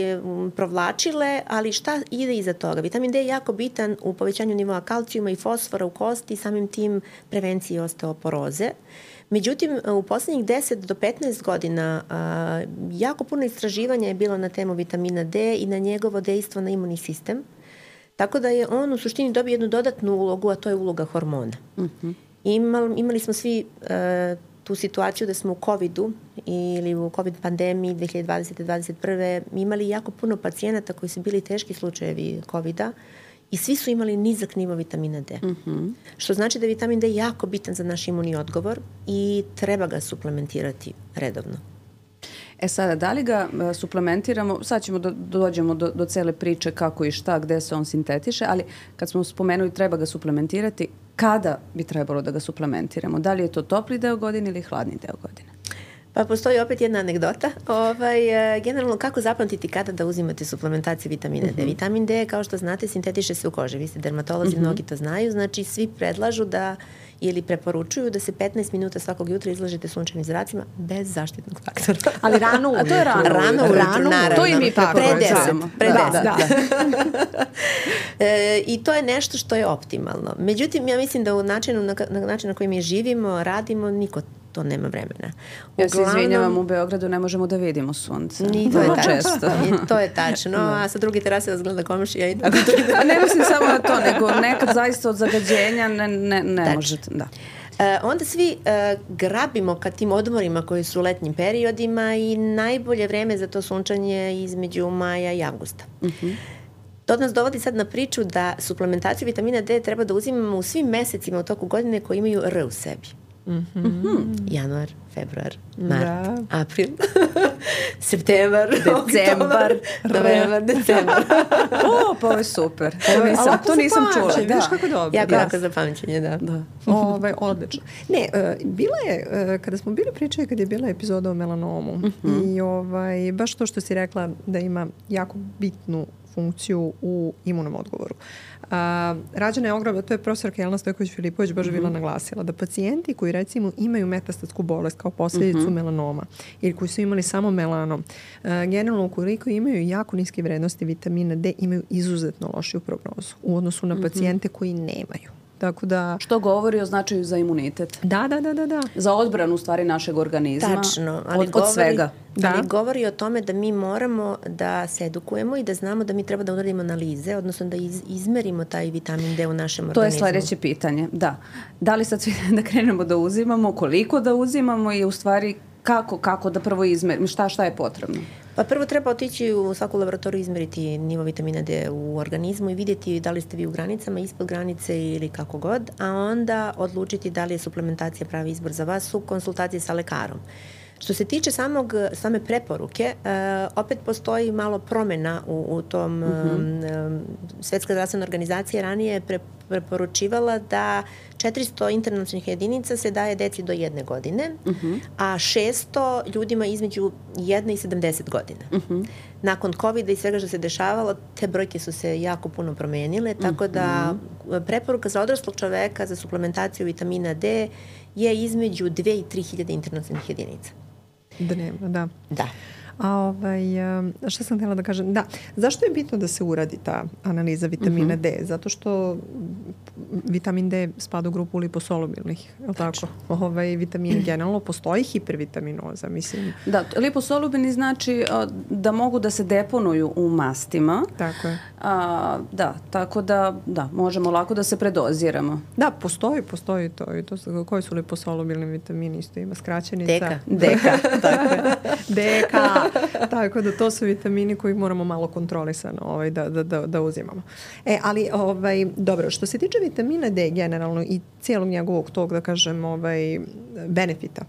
provlačile, ali šta ide iza toga? Vitamin D je jako bitan u povećanju nivoa kalcijuma i fosfora u kosti i samim tim prevenciji osteoporoze. Međutim, u poslednjih deset do petnaest godina a, jako puno istraživanja je bilo na temu vitamina D i na njegovo dejstvo na imunni sistem. Tako da je on u suštini dobio jednu dodatnu ulogu, a to je uloga hormona. Uh-huh. Imali, imali smo svi uh, tu situaciju da smo u covidu ili u covid pandemiji dve hiljade dvadesete dvadeset prve imali jako puno pacijenata koji su bili teški slučajevi covida i svi su imali nizak nivo vitamina D. Uh-huh. Što znači da je vitamin D jako bitan za naš imunni odgovor i treba ga suplementirati redovno. E sada, da li ga uh, suplementiramo, sad ćemo do, dođemo do, do cele priče kako i šta, gde se on sintetiše, ali kad smo spomenuli treba ga suplementirati, kada bi trebalo da ga suplementiramo? Da li je to topli deo godine ili hladni deo godine? Pa postoji opet jedna anegdota. Ovaj, generalno, kako zapamtiti kada da uzimate suplementaciju vitamina D? Uh-huh. Vitamin D, kao što znate, sintetiše se u koži. Vi ste dermatolozi, uh-huh. mnogi to znaju. Znači, svi predlažu da ili preporučuju da se petnaest minuta svakog jutra izlažete sunčevim zracima bez zaštitnog faktora. Ali rano ujutru. A to je rano. Rano ujutru, rano, naravno. To i mi preporučujemo. Pre deset. Da, da, da. e, I to je nešto što je optimalno. Međutim, ja mislim da u načinu na, na način na koji mi živimo, radimo, niko to nema vremena. Ja se izvinjavam, u Beogradu ne možemo da vidimo sunce. Ni to je tačno. I to je tačno. A sa druge terase vas gleda komšija i tako to ide. A ne mislim samo na to, nego nekad zaista od zagađenja ne, ne, ne možete. Da. E, onda svi e, grabimo ka tim odmorima koji su u letnjim periodima i najbolje vreme za to sunčanje između maja i avgusta. Uh-huh. To nas dovodi sad na priču da suplementaciju vitamina D treba da uzimamo u svim mesecima u toku godine koji imaju R u sebi. Mm-hmm. Januar, februar, mart, da. April, septembar, decembar, novembar, decembar. O, pa ovo je super. To nisam, to nisam čula. Da. Vidiš kako dobro. Jako, jako za pamćenje, da. da. Ove, odlično. Ne, uh, bila je, uh, kada smo bili pričali, kada je bila epizoda o melanomu uh-huh. i ovaj, baš to što si rekla da ima jako bitnu funkciju u imunom odgovoru. Uh, rađena je ogromna, to je profesorka Jelena Stojković-Filipović baš mm-hmm. bila naglasila, da pacijenti koji recimo imaju metastatsku bolest kao posljedicu mm-hmm. melanoma ili koji su imali samo melanom, uh, generalno ukoliko imaju jako niske vrednosti vitamina D, imaju izuzetno lošiju prognozu u odnosu na mm-hmm. pacijente koji nemaju. Tako da... Što govori o značaju za imunitet. Da, da, da, da, da. Za odbranu u stvari našeg organizma. Tačno, ali od, govori, od svega. Da. Ali govori o tome da mi moramo da se edukujemo i da znamo da mi treba da uradimo analize, odnosno da iz, izmerimo taj vitamin D u našem to organizmu. To je sledeće pitanje, da. Da li sad svi da krenemo da uzimamo, koliko da uzimamo i u stvari kako, kako da prvo izmerimo, šta, šta je potrebno? Pa prvo treba otići u svaku laboratoriju, izmeriti nivo vitamina D u organizmu i vidjeti da li ste vi u granicama, ispod granice ili kako god, a onda odlučiti da li je suplementacija pravi izbor za vas u konsultaciji sa lekarom. Što se tiče samog, same preporuke, uh, opet postoji malo promjena u, u tom, mm-hmm. um, Svetska zdravstvena organizacija ranije je pre, preporučivala da četiristo internacionalnih jedinica se daje deci do jedne godine, mm-hmm. a šesto ljudima između jedne i sedamdeset godina. Mm-hmm. Nakon covida i svega što se dešavalo, te brojke su se jako puno promenile, tako mm-hmm. da preporuka za odraslog čoveka za suplementaciju vitamina D je između dve i tri hiljade internacionalnih jedinica. Dnevno, da. Da. A ovaj, šta sam htjela da kažem? Da, zašto je bitno da se uradi ta analiza vitamina mm-hmm. D? Zato što vitamin D spada u grupu liposolubilnih, je li tako? Ovaj, vitamin generalno, postoji hipervitaminoza, mislim. Da, liposolubilni znači a, da mogu da se deponuju u mastima. Tako je. A, da, tako da, da, možemo lako da se predoziramo. Da, postoji, postoji to. I to su, koji su liposolubilni vitamini? Isto ima skraćenica. Deka. Deka, tako je. Deka. Tako da to su vitamini koji moramo malo kontrolisano ovaj, da, da, da, da uzimamo. E, ali, ovaj, dobro, što se tiče vitamina D generalno i cijelog njegovog tog, da kažem, ovaj, benefita,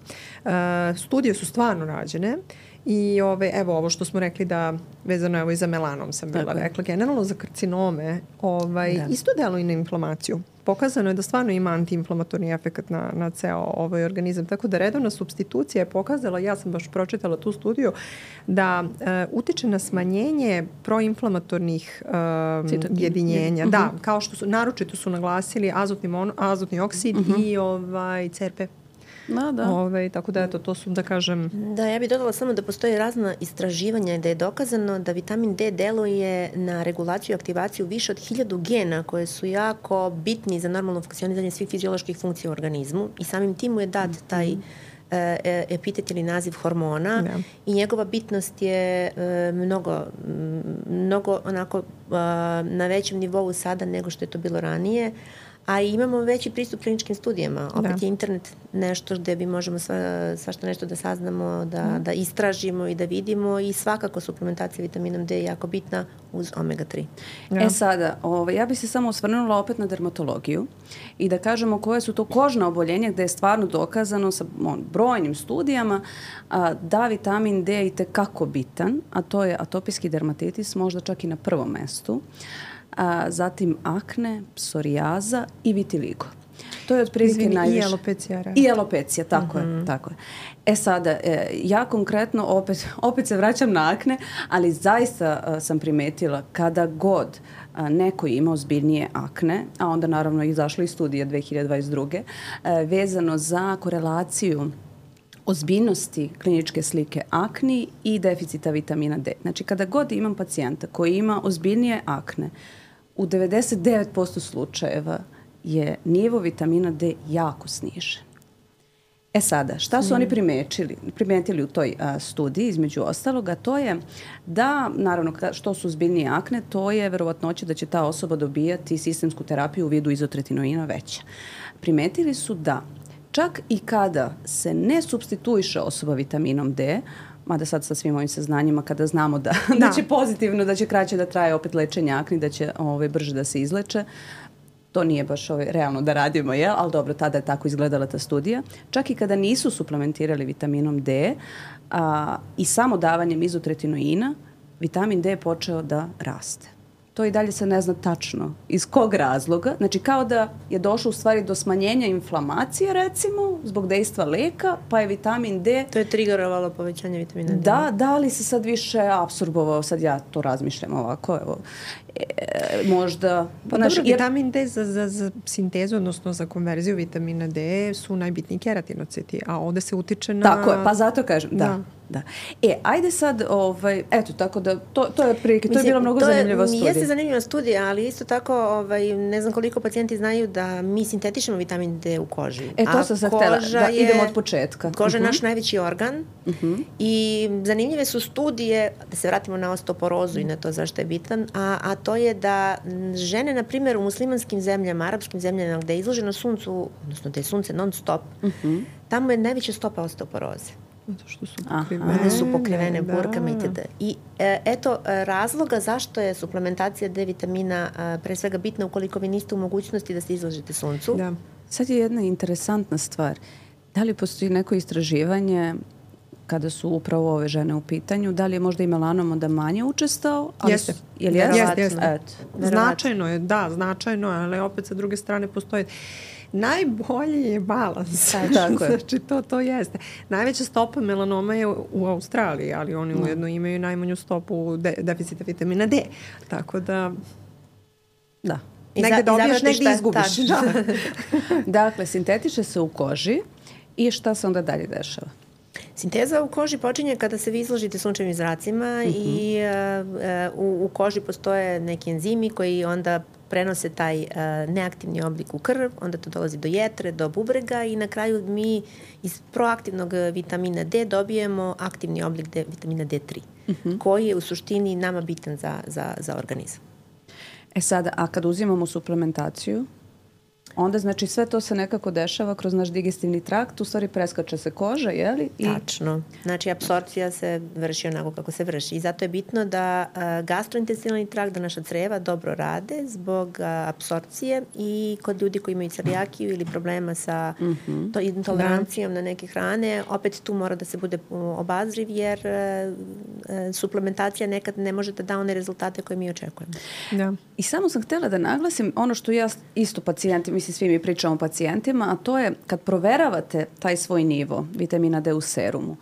uh, studije su stvarno rađene i ove, evo ovo što smo rekli da vezano evo i za melanom sam bila Tako. rekla, generalno za karcinome ovaj, isto deluje i na inflamaciju. Pokazano je da stvarno ima antiinflamatorni efekt na, na ceo ovaj organizam. Tako da redovna supstitucija je pokazala, ja sam baš pročitala tu studiju, da e, utiče na smanjenje proinflamatornih e, jedinjenja. Mm-hmm. Da, kao što su, naročito su naglasili azotni, mono, azotni oksid mm-hmm. i ovaj, C R P. Da, da. Ove, tako da eto, to su da kažem... Da, ja bih dodala samo da postoje razna istraživanja i da je dokazano da vitamin D deluje na regulaciju i aktivaciju više od hiljadu gena koje su jako bitni za normalno funkcioniranje svih fizioloških funkcija u organizmu i samim tim mu je dat taj e, epitet ili naziv hormona ja. i njegova bitnost je e, mnogo, mnogo onako e, na većem nivou sada nego što je to bilo ranije. A imamo veći pristup kliničkim studijama. Opet da. je internet nešto gde bi možemo sva, svašta nešto da saznamo, da, mm. da istražimo i da vidimo i svakako suplementacija vitaminom D je jako bitna uz omega tri. Ja. E sada, ovaj, ja bih se samo osvrnula opet na dermatologiju i da kažemo koje su to kožna oboljenja gde je stvarno dokazano sa on, brojnim studijama a, da vitamin D je itekako bitan, a to je atopijski dermatitis, možda čak i na prvom mestu. A, zatim akne, psorijaza i vitiligo. To je otprilike najviše. I alopecija. I alopecija, tako mm-hmm. je, tako je. E sada, e, ja konkretno opet, opet se vraćam na akne, ali zaista a, sam primetila kada god a, neko ima ozbiljnije akne, a onda naravno izašla i studija dve hiljade dvadeset druge a, vezano za korelaciju ozbiljnosti kliničke slike akni i deficita vitamina D. Znači, kada god imam pacijenta koji ima ozbiljnije akne, u devedeset devet posto slučajeva je nivo vitamina D jako snižen. E sada, šta su mm. oni primetili, primetili u toj a, studiji, između ostaloga, to je da, naravno, što su ozbiljnije akne, to je verovatnoća da će ta osoba dobijati sistemsku terapiju u vidu izotretinoina veća. Primetili su da čak i kada se ne supstituiše osoba vitaminom D, mada sad sa svim ovim saznanjima kada znamo da, da. da će pozitivno, da će kraće da traje opet lečenje akni, da će ove, brže da se izleče, to nije baš ove, realno da radimo, jel? Ali dobro, tada je tako izgledala ta studija. Čak i kada nisu suplementirali vitaminom D a, i samo davanjem izotretinoina, vitamin D je počeo da raste. To i dalje se ne zna tačno iz kog razloga. Znači kao da je došlo u stvari do smanjenja inflamacije recimo zbog dejstva leka, pa je vitamin D... To je triggerovalo povećanje vitamina D. Da, da li se sad više apsorbovao, sad ja to razmišljam ovako, evo, e, možda... Pa naš, dobro, jer... vitamin D za, za, za sintezu, odnosno za konverziju vitamina D su najbitniji keratinociti, a ovde se utiče na... Tako je, pa zato kažem, da. da. Da. E, ajde sad, ovaj, eto, tako da, to, to je prilike, to je bila mnogo zanimljiva studija. Jeste zanimljiva studija, ali isto tako, ovaj, ne znam koliko pacijenti znaju da mi sintetišemo vitamin D u koži. E, to sam sad htjela, da idemo od početka. Koža je uh-huh. naš najveći organ uh-huh. i zanimljive su studije, da se vratimo na osteoporozu i na to zašto je bitan, a, a to je da žene, na primjer, u muslimanskim zemljama, arapskim zemljama, gde je izloženo suncu, odnosno gde je sunce non stop, uh-huh. tamo je najveća stopa osteoporoze. Zato što su pokrivene. One su pokrivene da. burkama itd. I e, eto razloga zašto je suplementacija D vitamina a, pre svega bitna ukoliko vi niste u mogućnosti da se izložite suncu. Da. Sad je jedna interesantna stvar. Da li postoji neko istraživanje kada su upravo ove žene u pitanju, da li je možda i melanom onda manje učestao? Ali Jeste. Su, je li jeste? Jeste, jeste. Eto. Značajno je, da, značajno je, ali opet sa druge strane postoje najbolji je balans. Tako je. Znači, to, to jeste. Najveća stopa melanoma je u Australiji, ali oni no. ujedno imaju najmanju stopu de, deficita vitamina D. Tako da... Da. Negde dobiješ, negde izgubiš. Da. Dakle, sintetiče se u koži i šta se onda dalje dešava? Sinteza u koži počinje kada se vi izložite sunčevim zracima mm-hmm. i uh, u, u koži postoje neki enzimi koji onda prenose taj uh, neaktivni oblik u krv, onda to dolazi do jetre, do bubrega i na kraju mi iz proaktivnog vitamina D dobijemo aktivni oblik D, vitamina D tri, mm-hmm. koji je u suštini nama bitan za, za, za organizam. E sada, a kad uzimamo suplementaciju, onda znači sve to se nekako dešava kroz naš digestivni trakt, u stvari preskače se koža, je li? I... Tačno. Znači, apsorpcija se vrši onako kako se vrši. I zato je bitno da uh, gastrointestinalni trakt, da naša creva dobro rade zbog uh, apsorpcije i kod ljudi koji imaju celijakiju ili problema sa mm-hmm. to, intolerancijom da. na neke hrane, opet tu mora da se bude obazriv jer uh, uh, suplementacija nekad ne može da da one rezultate koje mi očekujemo. Da. I samo sam htjela da naglasim ono što ja isto pacijenti, mislim svi mi pričamo o pacijentima, a to je kad proveravate taj svoj nivo vitamina D u serumu,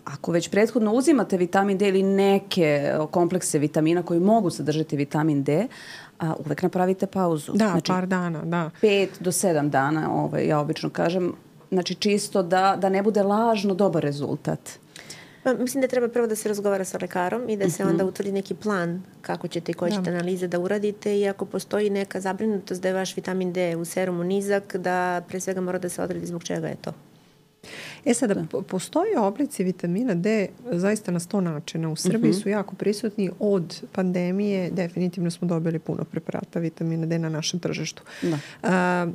ako već prethodno uzimate vitamin D ili neke komplekse vitamina koji mogu sadržati vitamin D, a uvek napravite pauzu. Da, znači, par dana, da. Pet do sedam dana, ovaj, ja obično kažem, znači čisto da, da ne bude lažno dobar rezultat. Pa, mislim da treba prvo da se razgovara sa lekarom i da se onda utvrdi neki plan kako ćete i koje ćete analize da uradite i ako postoji neka zabrinutost da je vaš vitamin D u serumu nizak, da pre svega mora da se odredi zbog čega je to. E sada, da. postoje oblici vitamina D zaista na sto načina. U Srbiji uh-huh. su jako prisutni. Od pandemije definitivno smo dobili puno preparata vitamina D na našem tržištu. Da. Uh,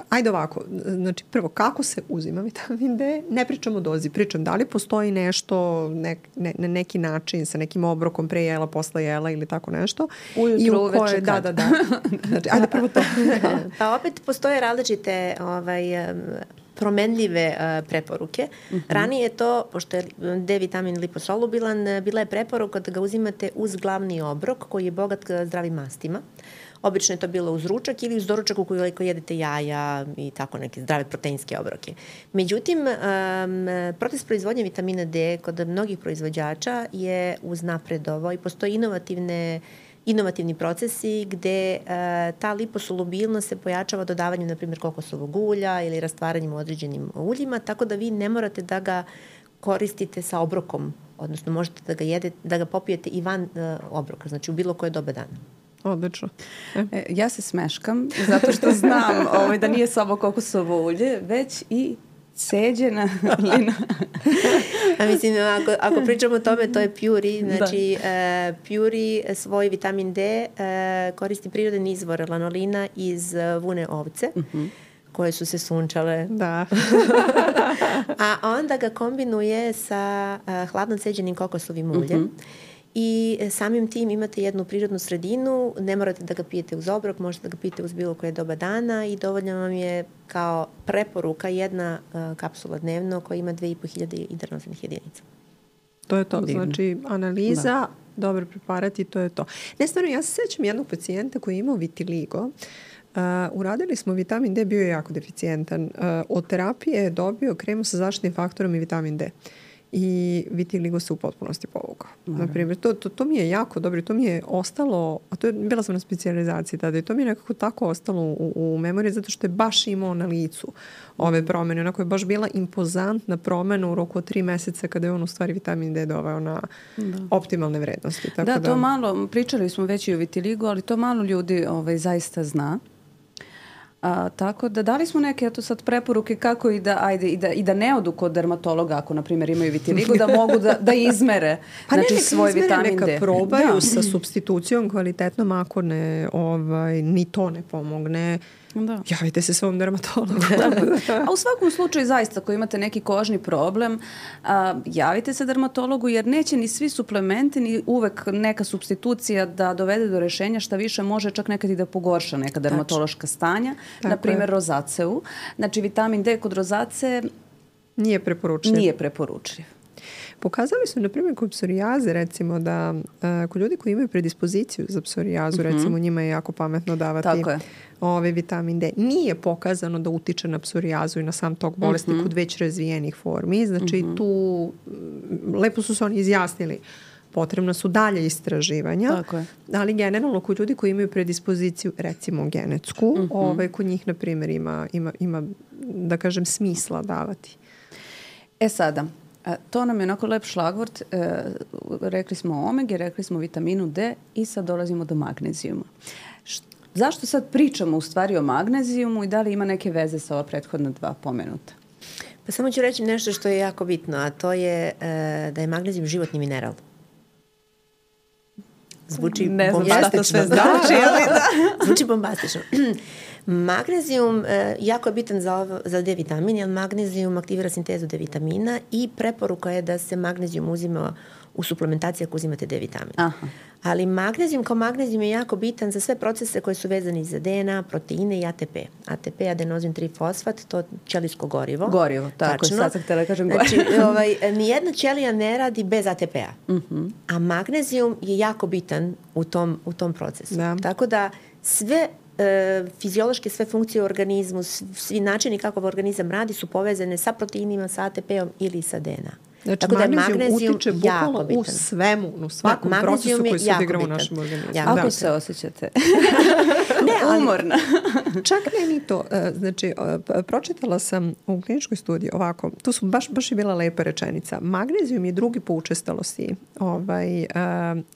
Ajde ovako, znači prvo, kako se uzima vitamin D? Ne pričam o dozi, pričam da li postoji nešto nek, ne, na neki način sa nekim obrokom pre jela, posle jela ili tako nešto. Ujutru, i u koje, uveče da, da, da. Znači, ajde prvo to. Pa opet postoje različite ovaj, promenljive uh, preporuke. Uh-huh. Ranije je to, pošto je D vitamin liposolubilan, bila je preporuka da ga uzimate uz glavni obrok koji je bogat zdravim mastima. Obično je to bilo uz ručak ili uz doručak ukoliko jedete jaja i tako neke zdrave proteinske obroke. Međutim, um, proces proizvodnje vitamina D kod mnogih proizvođača je uznapredovao i postoje inovativne inovativni procesi gde uh, ta liposolubilnost se pojačava dodavanjem, na primjer, kokosovog ulja ili rastvaranjem u određenim uljima, tako da vi ne morate da ga koristite sa obrokom, odnosno možete da ga, jedete, da ga popijete i van uh, obroka, znači u bilo koje doba dana. Odlično. E, ja se smeškam zato što znam ovaj, da nije samo kokosovo ulje, već i ceđena lina. A mislim, ako, ako pričamo o tome, to je Puri. Znači, uh, Puri svoj vitamin D uh, koristi prirodan izvor lanolina iz uh, vune ovce. Uh-huh. koje su se sunčale. Da. A onda ga kombinuje sa uh, hladno ceđenim kokosovim uljem. Uh-huh. I samim tim imate jednu prirodnu sredinu, ne morate da ga pijete uz obrok, možete da ga pijete uz bilo koje doba dana i dovoljno vam je kao preporuka jedna uh, kapsula dnevno koja ima dve i po hiljade internacionalnih jedinica. To je to, divno. Znači analiza, da. Dobar preparat i to je to. Ne, stvarno, ja se sećam jednog pacijenta koji je imao vitiligo. Uh, uradili smo vitamin D, bio je jako deficijentan. Uh, od terapije je dobio kremu sa zaštitnim faktorom i vitamin D. I vitiligo se u potpunosti povukao. Naprimjer, to, to, to mi je jako dobro i to mi je ostalo, a to je, bila sam na specijalizaciji tada i to mi je nekako tako ostalo u, u memoriji zato što je baš imao na licu ove promene. Onako je baš bila impozantna promena u roku od tri meseca kada je on u stvari vitamin D doveo na da. optimalne vrednosti. Tako da, to da... malo, pričali smo već i o vitiligu, ali to malo ljudi ovaj, zaista zna. A, tako da dali smo neke eto sad preporuke kako i da, ajde, i da, i da ne odu kod dermatologa ako na primjer imaju vitiligo, da mogu da, da izmere pa znači, ne, svoj izmere, vitamin neka D. probaju da. sa supstitucijom kvalitetnom, ako ne, ovaj, ni to ne pomogne. Da. Javite se svom dermatologu. A u svakom slučaju zaista ako imate neki kožni problem, a, javite se dermatologu jer neće ni svi suplementi ni uvek neka supstitucija da dovede do rešenja, šta više može čak nekad i da pogorša neka dermatološka stanja. Tako na primjer rozaceu. Znači vitamin D kod rozace nije preporučljiv. Nije preporučljiv. Pokazali su, na primjer, kod psorijaze, recimo, da uh, kod ljudi koji imaju predispoziciju za psorijazu, mm-hmm. recimo, njima je jako pametno davati ovaj vitamin D. Nije pokazano da utiče na psorijazu i na sam tok bolesti mm-hmm. kod već razvijenih formi. Znači, mm-hmm. tu lepo su se oni izjasnili. Potrebna su dalje istraživanja, Tako je. ali generalno kod ljudi koji imaju predispoziciju, recimo genetsku, mm-hmm. ovaj, kod njih, na primjer, ima, ima, ima, da kažem, smisla davati. E sada, to nam je onako lep šlagvort. E, rekli smo o omegi, rekli smo o vitaminu D i sad dolazimo do magnezijuma. Š, zašto sad pričamo u stvari o magnezijumu i da li ima neke veze sa ova prethodna dva pomenuta? Pa samo ću reći nešto što je jako bitno, a to je e, da je magnezijum životni mineral. Zvuči ne znam bombastično. šta to sve znači, ali da. Zvuči bombastično. Magnezijum e, jako je bitan za, ovo, za D vitamin, jer magnezijum aktivira sintezu D vitamina i preporuka je da se magnezijum uzima u suplementaciji ako uzimate D vitamin. Aha. Ali magnezijum kao magnezijum je jako bitan za sve procese koji su vezani za D N A, proteine i A T P. A T P, adenozin tri fosfat, to ćelijsko gorivo. Gorivo, tako je, sad sam htjela kažem gorivo. Znači, ovaj, nijedna ćelija ne radi bez A T P-a. Uh-huh. A magnezijum je jako bitan u tom, u tom procesu. Da. Tako da sve e, fiziološke sve funkcije u organizmu, svi načini kako organizam radi su povezane sa proteinima, sa A T P-om ili sa D N A. Znači, tako da magnezijum, magnezijum utiče bukvalno u svemu, u svakom da, procesu koji se odigra u našem organizmu. Ako da. se osjećate ne, ali, umorna. Čak ne ni to. Znači, pročitala sam u kliničkoj studiji ovako, tu su baš, baš je bila lepa rečenica. Magnezijum je drugi po učestalosti ovaj, uh,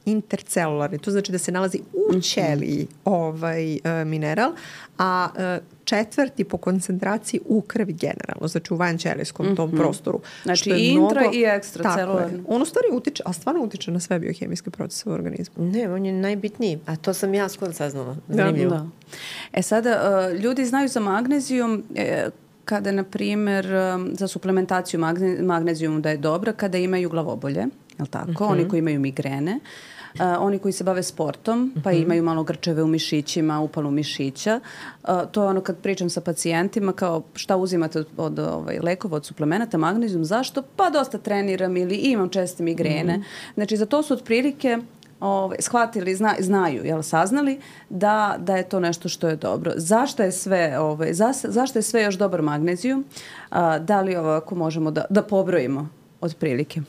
intercelularni. To znači da se nalazi u ćeliji ovaj, uh, mineral, a uh, četvrti po koncentraciji u krvi generalno, znači u vanćelijskom mm-hmm. tom prostoru. Znači i intra mnogo, i ekstracelularno. On u stvari utiče, a stvarno utiče na sve biohemijske procese u organizmu. Ne, on je najbitniji, a to sam ja skoro saznala. Zanimljivo. Da, da. E sada, uh, ljudi znaju za magnezijum e, kada, na primjer, um, za suplementaciju magne, magnezijum da je dobra kada imaju glavobolje, je li tako? Mm-hmm. Oni koji imaju migrene. Uh, oni koji se bave sportom, pa mm-hmm. imaju malo grčeve u mišićima, upalu mišića. Uh, to je ono kad pričam sa pacijentima kao šta uzimate od, od ovaj, lekova, od suplemenata, magnezijum, zašto? Pa dosta treniram ili imam česte migrene. Mm-hmm. Znači za to su otprilike ovaj, shvatili, zna, znaju, jel, saznali da, da je to nešto što je dobro. Zašto je sve, ovaj, za, zašto je sve još dobar magnezijum? Uh, da li ovako možemo da, da pobrojimo otprilike?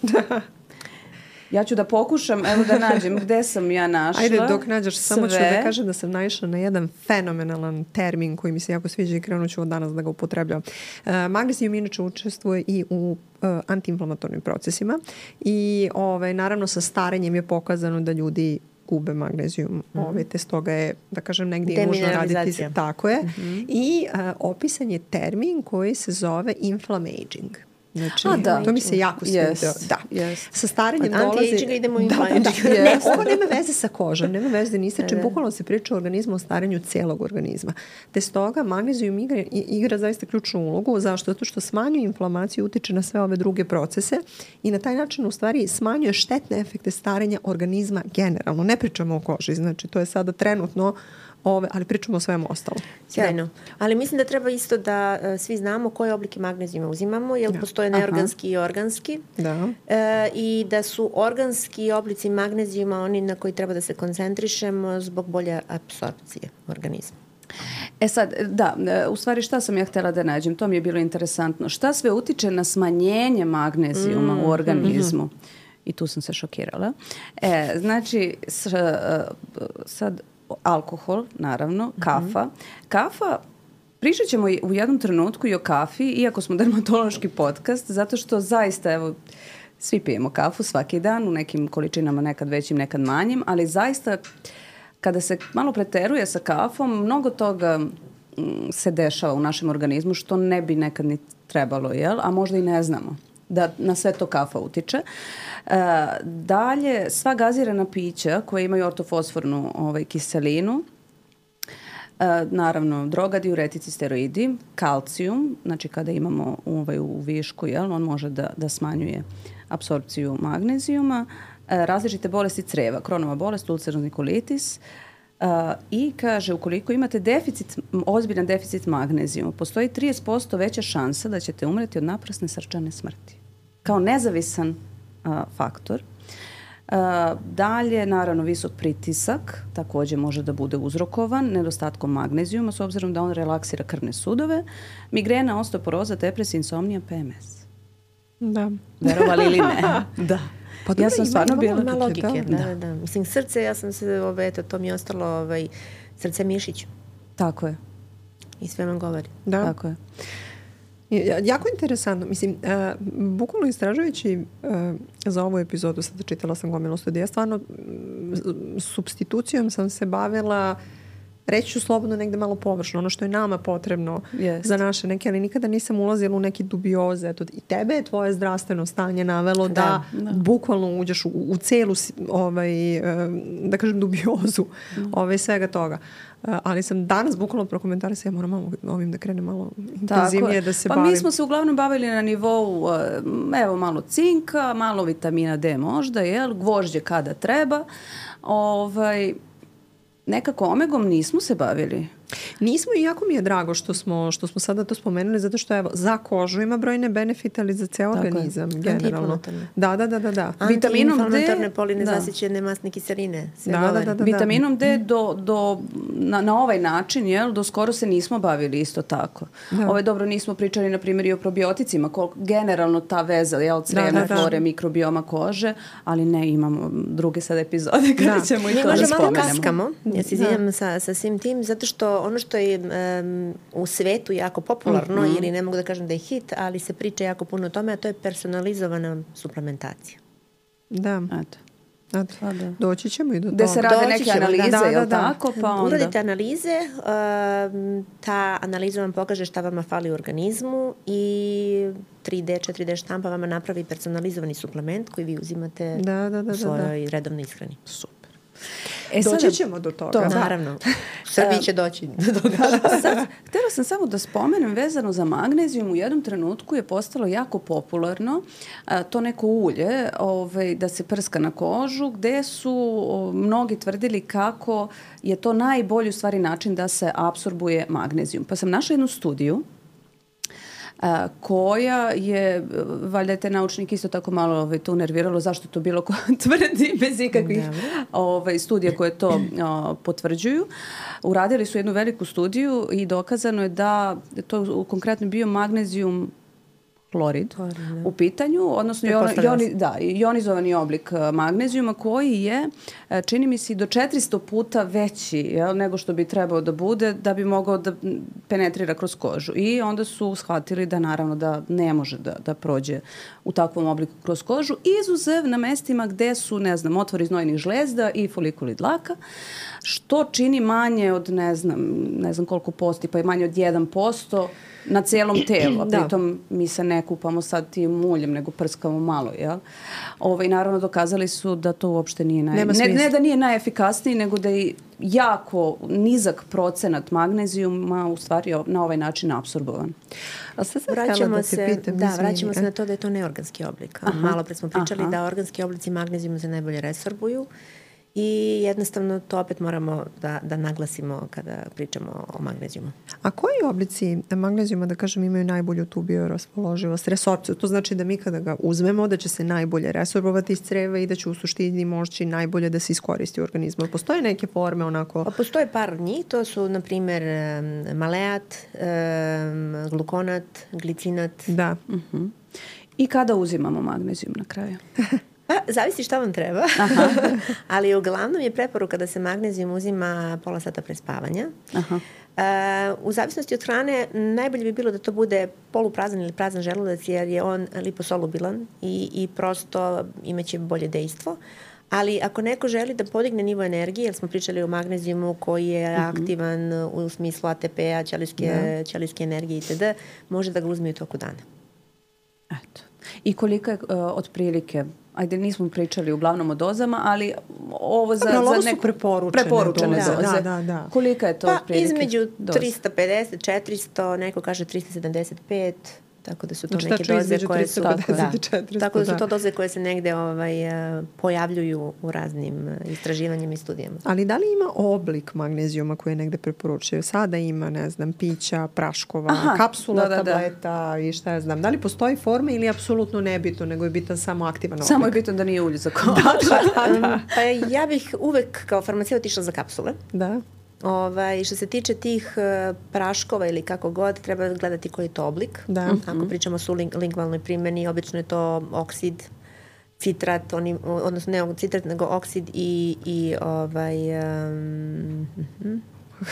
Ja ću da pokušam, evo da nađem gde sam ja našla. Ajde, dok nađeš, samo ću da kažem da sam naišla na jedan fenomenalan termin koji mi se jako sviđa i krenut ću od danas da ga upotrebljam. Uh, magnezijum inače učestvuje i u uh, antiinflamatornim procesima i ovaj, naravno sa starenjem je pokazano da ljudi gube magnezijum. Mm-hmm. Ove, te stoga je, da kažem, negdje nužno raditi. Tako je. Mm-hmm. I uh, opisan je termin koji se zove inflammaging. Znači, A, da. to mi se jako sviđa. Yes. Da. Yes. Sa starenjem dolazi... Anti-aging idemo u da, da, da. Ne, ovo nema veze sa kožom, nema veze ni sa čim. Bukvalno se priča o organizmu, o starenju cijelog organizma. Te stoga magnezijum igra, igra zaista ključnu ulogu. Zašto? Zato što smanjuje inflamaciju, utiče na sve ove druge procese i na taj način u stvari smanjuje štetne efekte starenja organizma generalno. Ne pričamo o koži, znači to je sada trenutno Ove, ali pričamo o svemu ostalo. Sjajno. Ali mislim da treba isto da uh, svi znamo koje oblike magnezijuma uzimamo, jer da. postoje neorganski Aha. i organski. Da. E, I da su organski oblici magnezijuma oni na koji treba da se koncentrišemo zbog bolje apsorpcije organizma. E sad, da, u stvari šta sam ja htjela da nađem, to mi je bilo interesantno. Šta sve utiče na smanjenje magnezijuma mm. u organizmu? Mm-hmm. I tu sam se šokirala. E, znači, s, sad... alkohol, naravno, kafa. Mm-hmm. Kafa, pričat ćemo u jednom trenutku i o kafi, iako smo dermatološki podcast, zato što zaista, evo, svi pijemo kafu svaki dan, u nekim količinama nekad većim, nekad manjim, ali zaista, kada se malo preteruje sa kafom, mnogo toga se dešava u našem organizmu, što ne bi nekad ni trebalo, jel? A možda i ne znamo da na sve to kafa utiče. E, dalje, sva gazirana pića koja imaju ortofosfornu ovaj, kiselinu, e, naravno droga, diuretici, steroidi, kalcijum, znači kada imamo ovaj, u višku, jel, on može da, da smanjuje apsorpciju magnezijuma, e, različite bolesti creva, Kronova bolest, ulcerozni kolitis, Uh, i kaže ukoliko imate deficit, ozbiljan deficit magnezijuma, postoji trideset posto veća šansa da ćete umreti od naprasne srčane smrti. Kao nezavisan uh, faktor. Uh, dalje, naravno, visok pritisak također može da bude uzrokovan nedostatkom magnezijuma s obzirom da on relaksira krvne sudove. Migrena, osteoporoza, depresija, insomnija, P M S. Da. Verovali ili ne? Da. Pa ja sam stvarno bila ima logike, logike, da, da, da. Mislim, srce, ja sam se, ove, eto, to mi je ostalo, ovaj, srce mišić. Tako je. I sve vam govori. Da. Tako je. Jako interesantno. Mislim, uh, bukvalno istražujući uh, za ovu epizodu, sada čitala sam gomilu studija, stvarno uh, substitucijom sam se bavila, reći ću slobodno negde malo površno, ono što je nama potrebno Jest. za naše neke, ali nikada nisam ulazila u neke dubioze. Eto, i tebe je tvoje zdravstveno stanje navelo da, da, da. bukvalno uđeš u, u celu ovaj, da kažem dubiozu mm. ovaj, svega toga. Ali sam danas bukvalno prokomentarisala, ja moram malo ovim da krenem malo intenzivnije da se pa bavim. Mi smo se uglavnom bavili na nivou, evo malo cinka, malo vitamina D možda, jel, gvožđe kada treba. Ovaj, nekako omegom nismo se bavili. Nismo i jako mi je drago što smo, što smo sada to spomenuli, zato što evo, za kožu ima brojne benefite, ali za ceo tako organizam je. Generalno. Da, da, da, da, da. Antiinflamatorne polinezasićene masne kiseline. Da, da, da, da, vitaminom D do, do, na, na ovaj način, jel, do skoro se nismo bavili isto tako. Da. Ove, dobro, nismo pričali, na primjer, i o probioticima, koliko generalno ta veza, jel, crevne da, da, flore, da. mikrobioma kože, ali ne, imamo druge sad epizode kada da. ćemo i to da spomenemo. Mi možda malo kaskamo, ja se izvinjam sa, sa svim tim, zato što ono što je um, u svetu jako popularno, mm-hmm. ili ne mogu da kažem da je hit, ali se priča jako puno o tome, a to je personalizovana suplementacija. Da. Eto. Eto. Doći ćemo i do toga. Gde se rade Doći neke ćemo, analize, da, je li da, tako? Pa onda... Uradite analize, um, ta analiza vam pokaže šta vama fali u organizmu i tri D, četiri D štampa vama napravi personalizovani suplement koji vi uzimate da, da, da, u svojoj da, da. redovnoj ishrani. Super. E, doći sada, ćemo do toga. To, naravno. Srbiji će doći do toga. Sad, htjela sam samo da spomenem vezano za magnezijum. U jednom trenutku je postalo jako popularno a, to neko ulje ovaj, da se prska na kožu, gde su o, mnogi tvrdili kako je to najbolji u stvari način da se apsorbuje magnezijum. Pa sam našla jednu studiju a, koja je, valjda je te naučnik isto tako malo ovaj, to nerviralo zašto to bilo ko tvrdi bez ikakvih ovaj, studija koje to o, potvrđuju. Uradili su jednu veliku studiju i dokazano je da to konkretno bio magnezijum hlorid u pitanju, odnosno jon, joni, da, ionizovani oblik magnezijuma koji je, čini mi se, do četiristo puta veći, jel, nego što bi trebao da bude da bi mogao da penetrira kroz kožu. I onda su shvatili da naravno da ne može da, da prođe u takvom obliku kroz kožu, izuzev na mestima gde su, ne znam, otvori znojnih žlezda i folikuli dlaka, što čini manje od, ne znam, ne znam koliko posti, pa je manje od jedan posto na cijelom telu, a pritom mi se ne kupamo sad tim muljem, nego prskamo malo, jel? Ove, naravno, dokazali su da to uopšte nije naj... ne, ne da nije najefikasniji, nego da je jako nizak procenat magnezijuma u stvari na ovaj način apsorbovan. A sad sam vraćamo da se, pitam, da, vraćamo se na to da je to neorganski oblik. Aha, malo pre smo pričali aha. da organski oblici magnezijuma se najbolje resorbuju. I jednostavno to opet moramo da, da naglasimo kada pričamo o magnezijumu. A koji oblici magnezijuma, da kažem, imaju najbolju tu bioraspoloživost, resorpciju? To znači da mi kada ga uzmemo, da će se najbolje resorbovati iz creva i da će u suštini moći najbolje da se iskoristi u organizmu. Postoje neke forme onako? Pa postoje par njih. To su, na primjer, maleat, glukonat, glicinat. Da. Uh-huh. I kada uzimamo magnezijum na kraju? Pa, zavisi šta vam treba, ali uglavnom je preporuka da se magnezijum uzima pola sata pre spavanja. Aha. Uh, u zavisnosti od hrane najbolje bi bilo da to bude poluprazan ili prazan želudac jer je on liposolubilan i, i prosto imaće bolje dejstvo. Ali ako neko želi da podigne nivo energije, jer smo pričali o magnezijumu koji je uh-huh. aktivan u smislu A T P-a, ćelijske, ćelijske energije itd., može da ga uzme u toku dana. Eto. I koliko je uh, otprilike, ajde nismo pričali uglavnom o dozama, ali ovo za, Dobro, ovo za neko preporučene, preporučene doze. doze. Da, da, da. Kolika je to pa, otprilike? Između doze? trista pedeset, četiristo, neko kaže trista sedamdeset pet, tako da su to znači, neke doze koje su trista pedeset i četiristo, tako da su da. to doze koje se negde ovaj, pojavljuju u raznim istraživanjima i studijama. Ali da li ima oblik magnezijuma koji je negde preporučuje? Sada ima, ne znam, pića, praškova, Aha, kapsula, da, da, tableta da. i šta ja znam. Da li postoji forma ili je apsolutno nebitno, nego je bitan samo aktivan oblik? Samo je bitno da nije ulje za kožu. da, da, da. Pa ja bih uvek kao farmaceut išla za kapsule. Da. Ovaj, što se tiče tih uh, praškova ili kako god, treba gledati koji je to oblik. Da. Ako mm-hmm. pričamo o lingvalnoj primjeni, obično je to oksid, citrat, oni, odnosno ne citrat, nego oksid i, i ovaj... Um, uh-huh.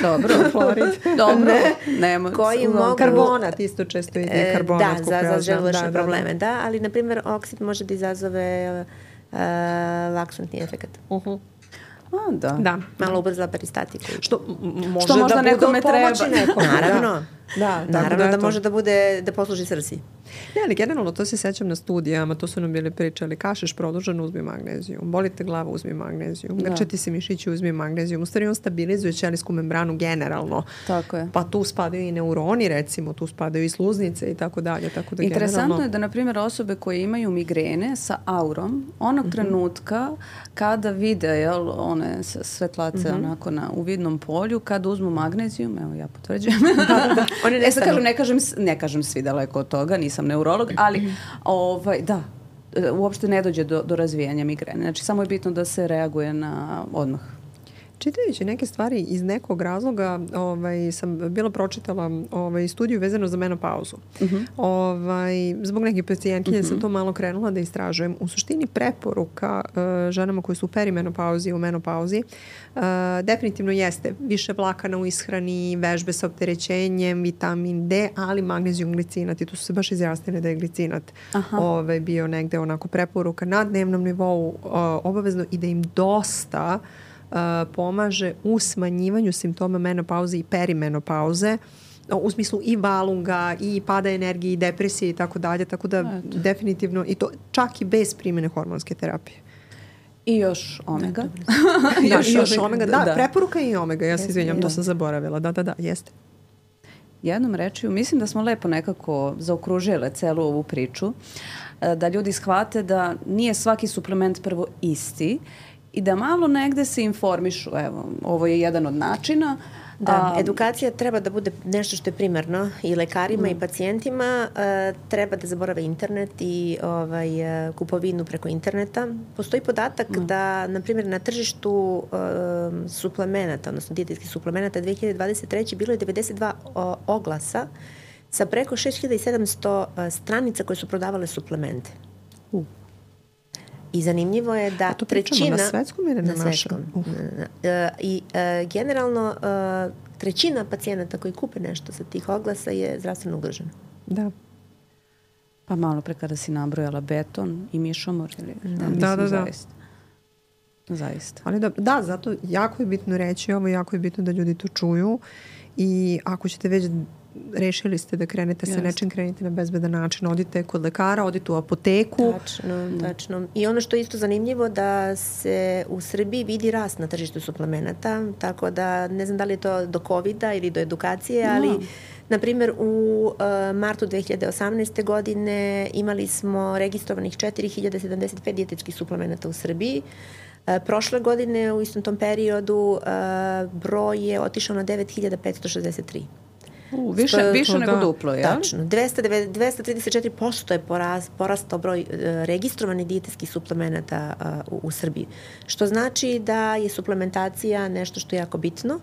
Dobro, florid. Dobro, ne, nema. Koji mogu... Karbonat isto često ide, karbonat. Da, za, za želučne da, probleme, da, da. da, ali na primjer oksid može da izazove uh, laksantni efekt. Uh-huh. A, da. da. Malo ubrzala peristatiku. Što, m- može Što možda da nekome treba. Nekom, Naravno. Da, Naravno da, da, da može da bude, da posluži srsi. Ne, ali generalno to se sećam na studijama, to su nam bili pričali, kašeš produženo, uzmi magnezijum, bolite glava, uzmi magnezijum, da. grčati se mišići, uzmi magnezijum, u stvari on stabilizuje ćelijsku membranu generalno. Tako je. Pa tu spadaju i neuroni, recimo, tu spadaju i sluznice i tako dalje. Tako da interesantno generalno... je da, na primjer, osobe koje imaju migrene sa aurom, onog mm-hmm. trenutka kada vide jel, one svetlace mm-hmm. onako na, u vidnom polju, kada uzmu magnezijum, evo ja potvrđujem, da, da, da. Oni ne, e, kažem, ne, kažem, ne kažem svi daleko od toga, nisam neurolog, ali ovaj, da, uopšte ne dođe do, do razvijanja migrene. Znači, samo je bitno da se reaguje na odmah. Čitajući neke stvari iz nekog razloga ovaj, sam bila pročitala ovaj, studiju vezano za menopauzu. Uh-huh. Ovaj, zbog nekih pacijentkinja uh-huh. sam to malo krenula da istražujem. U suštini preporuka uh, ženama koje su u perimenopauzi i u menopauzi uh, definitivno jeste više vlakana u ishrani, vežbe sa opterećenjem, vitamin D, ali magnezijum glicinat. I tu su se baš izjasnili da je glicinat ovaj, bio negde onako preporuka na dnevnom nivou uh, obavezno i da im dosta Uh, pomaže u smanjivanju simptoma menopauze i perimenopauze u smislu i valunga i pada energije i depresije i tako dalje, tako da Eto. definitivno i to čak i bez primjene hormonske terapije. I još omega. Da, još, još omega, da, da, preporuka i omega, ja se izvinjam, to sam zaboravila, da, da, da, jeste. Jednom rečju, mislim da smo lepo nekako zaokružile celu ovu priču, da ljudi shvate da nije svaki suplement prvo isti i da malo negde se informišu. Evo, ovo je jedan od načina. Da, a, edukacija treba da bude nešto što je primarno i lekarima mm. i pacijentima. E, treba da zaborave internet i ovaj, kupovinu preko interneta. Postoji podatak mm. da, na primjer, na tržištu e, suplemenata, odnosno dijetetskih suplemenata dve hiljade dvadeset treće bilo je devedeset dva o, oglasa sa preko šest hiljada sedamsto stranica koje su prodavale suplemente. Uh. I zanimljivo je da to trećina... na svetskom ili na, na svetskom. Uh. I uh, generalno uh, trećina pacijenata koji kupe nešto sa tih oglasa je zdravstveno ugrožena. Da. Pa malo pre kada si nabrojala beton i mišomor. Ili, da, mislim, da, da, da. Zaista. Zaista. Ali da, da, zato jako je bitno reći ovo, jako je bitno da ljudi to čuju i ako ćete već rešili ste da krenete sa nečim, krenite na bezbedan način. Odite kod lekara, odite u apoteku. Tačno, tačno. I ono što je isto zanimljivo da se u Srbiji vidi rast na tržištu suplemenata, tako da ne znam da li je to do kovida ili do edukacije, ali no. na primjer u uh, martu dve hiljade osamnaeste. godine imali smo registrovanih četiri hiljade sedamdeset pet dijetetskih suplemenata u Srbiji. Uh, prošle godine u istom tom periodu uh, broj je otišao na devet hiljada petsto šezdeset tri. U, više, Sto, više nego da. duplo, je? Tačno. dvesta trideset četiri posto je poraz, porastao broj uh, registrovanih dijetetskih suplemenata uh, u, u Srbiji. Što znači da je suplementacija nešto što je jako bitno.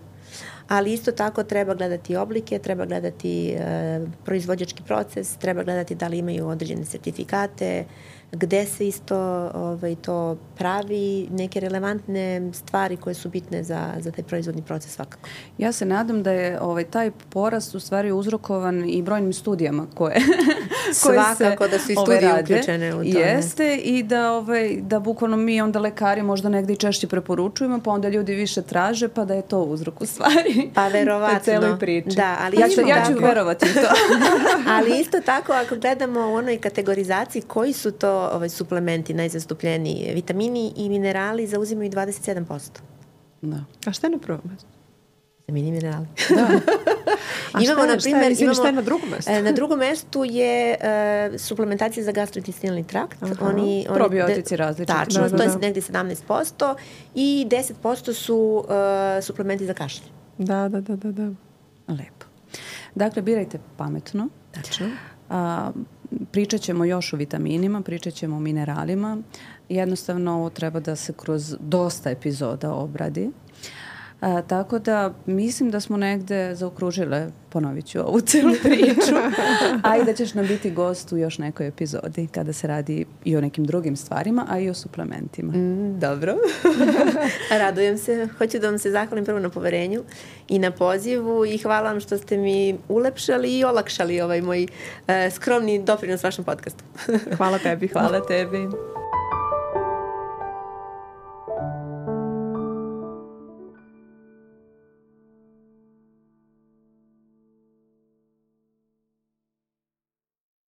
ali isto tako treba gledati oblike, treba gledati e, proizvođački proces, treba gledati da li imaju određene sertifikate, gde se isto ovaj, to pravi, neke relevantne stvari koje su bitne za, za taj proizvodni proces svakako. Ja se nadam da je ovaj, taj porast u stvari uzrokovan i brojnim studijama koje, koje svakako se, da su i studije ovaj, uključene u to. Jeste i da, ovaj, da bukvalno mi onda lekari možda negde i češće preporučujemo, pa onda ljudi više traže, pa da je to uzrok u stvari. Pa verovatno. celoj priči. Da, ali ja, ću, ja ću tako, verovati u to. Ali isto tako ako gledamo u onoj kategorizaciji koji su to ovaj, suplementi najzastupljeniji, vitamini i minerali zauzimaju dvadeset sedam posto. Da. A šta je na prvom mestu? Vitamini i minerali. Da. A imamo, šta je, na primjer, šta je, imamo, šta je na drugom mestu? Na drugom mestu je uh, suplementacija za gastrointestinalni trakt. Aha. Oni, oni, Probiotici različiti. Tačno, Da, da, to je da. negdje sedamnaest posto i deset posto su uh, suplementi za kašlje. Da, da, da, da, da. Lepo. Dakle, birajte pametno. Tačno. A, pričat ćemo još o vitaminima, pričat ćemo o mineralima. Jednostavno ovo treba da se kroz dosta epizoda obradi. A, tako da mislim da smo negde zaokružile, ponovit ću ovu celu priču, a i da ćeš nam biti gost u još nekoj epizodi kada se radi i o nekim drugim stvarima, a i o suplementima. Mm, dobro. Radujem se. Hoću da vam se zahvalim prvo na poverenju i na pozivu i hvala vam što ste mi ulepšali i olakšali ovaj moj uh, skromni doprinos vašem podcastu. Hvala tebi. Hvala tebi.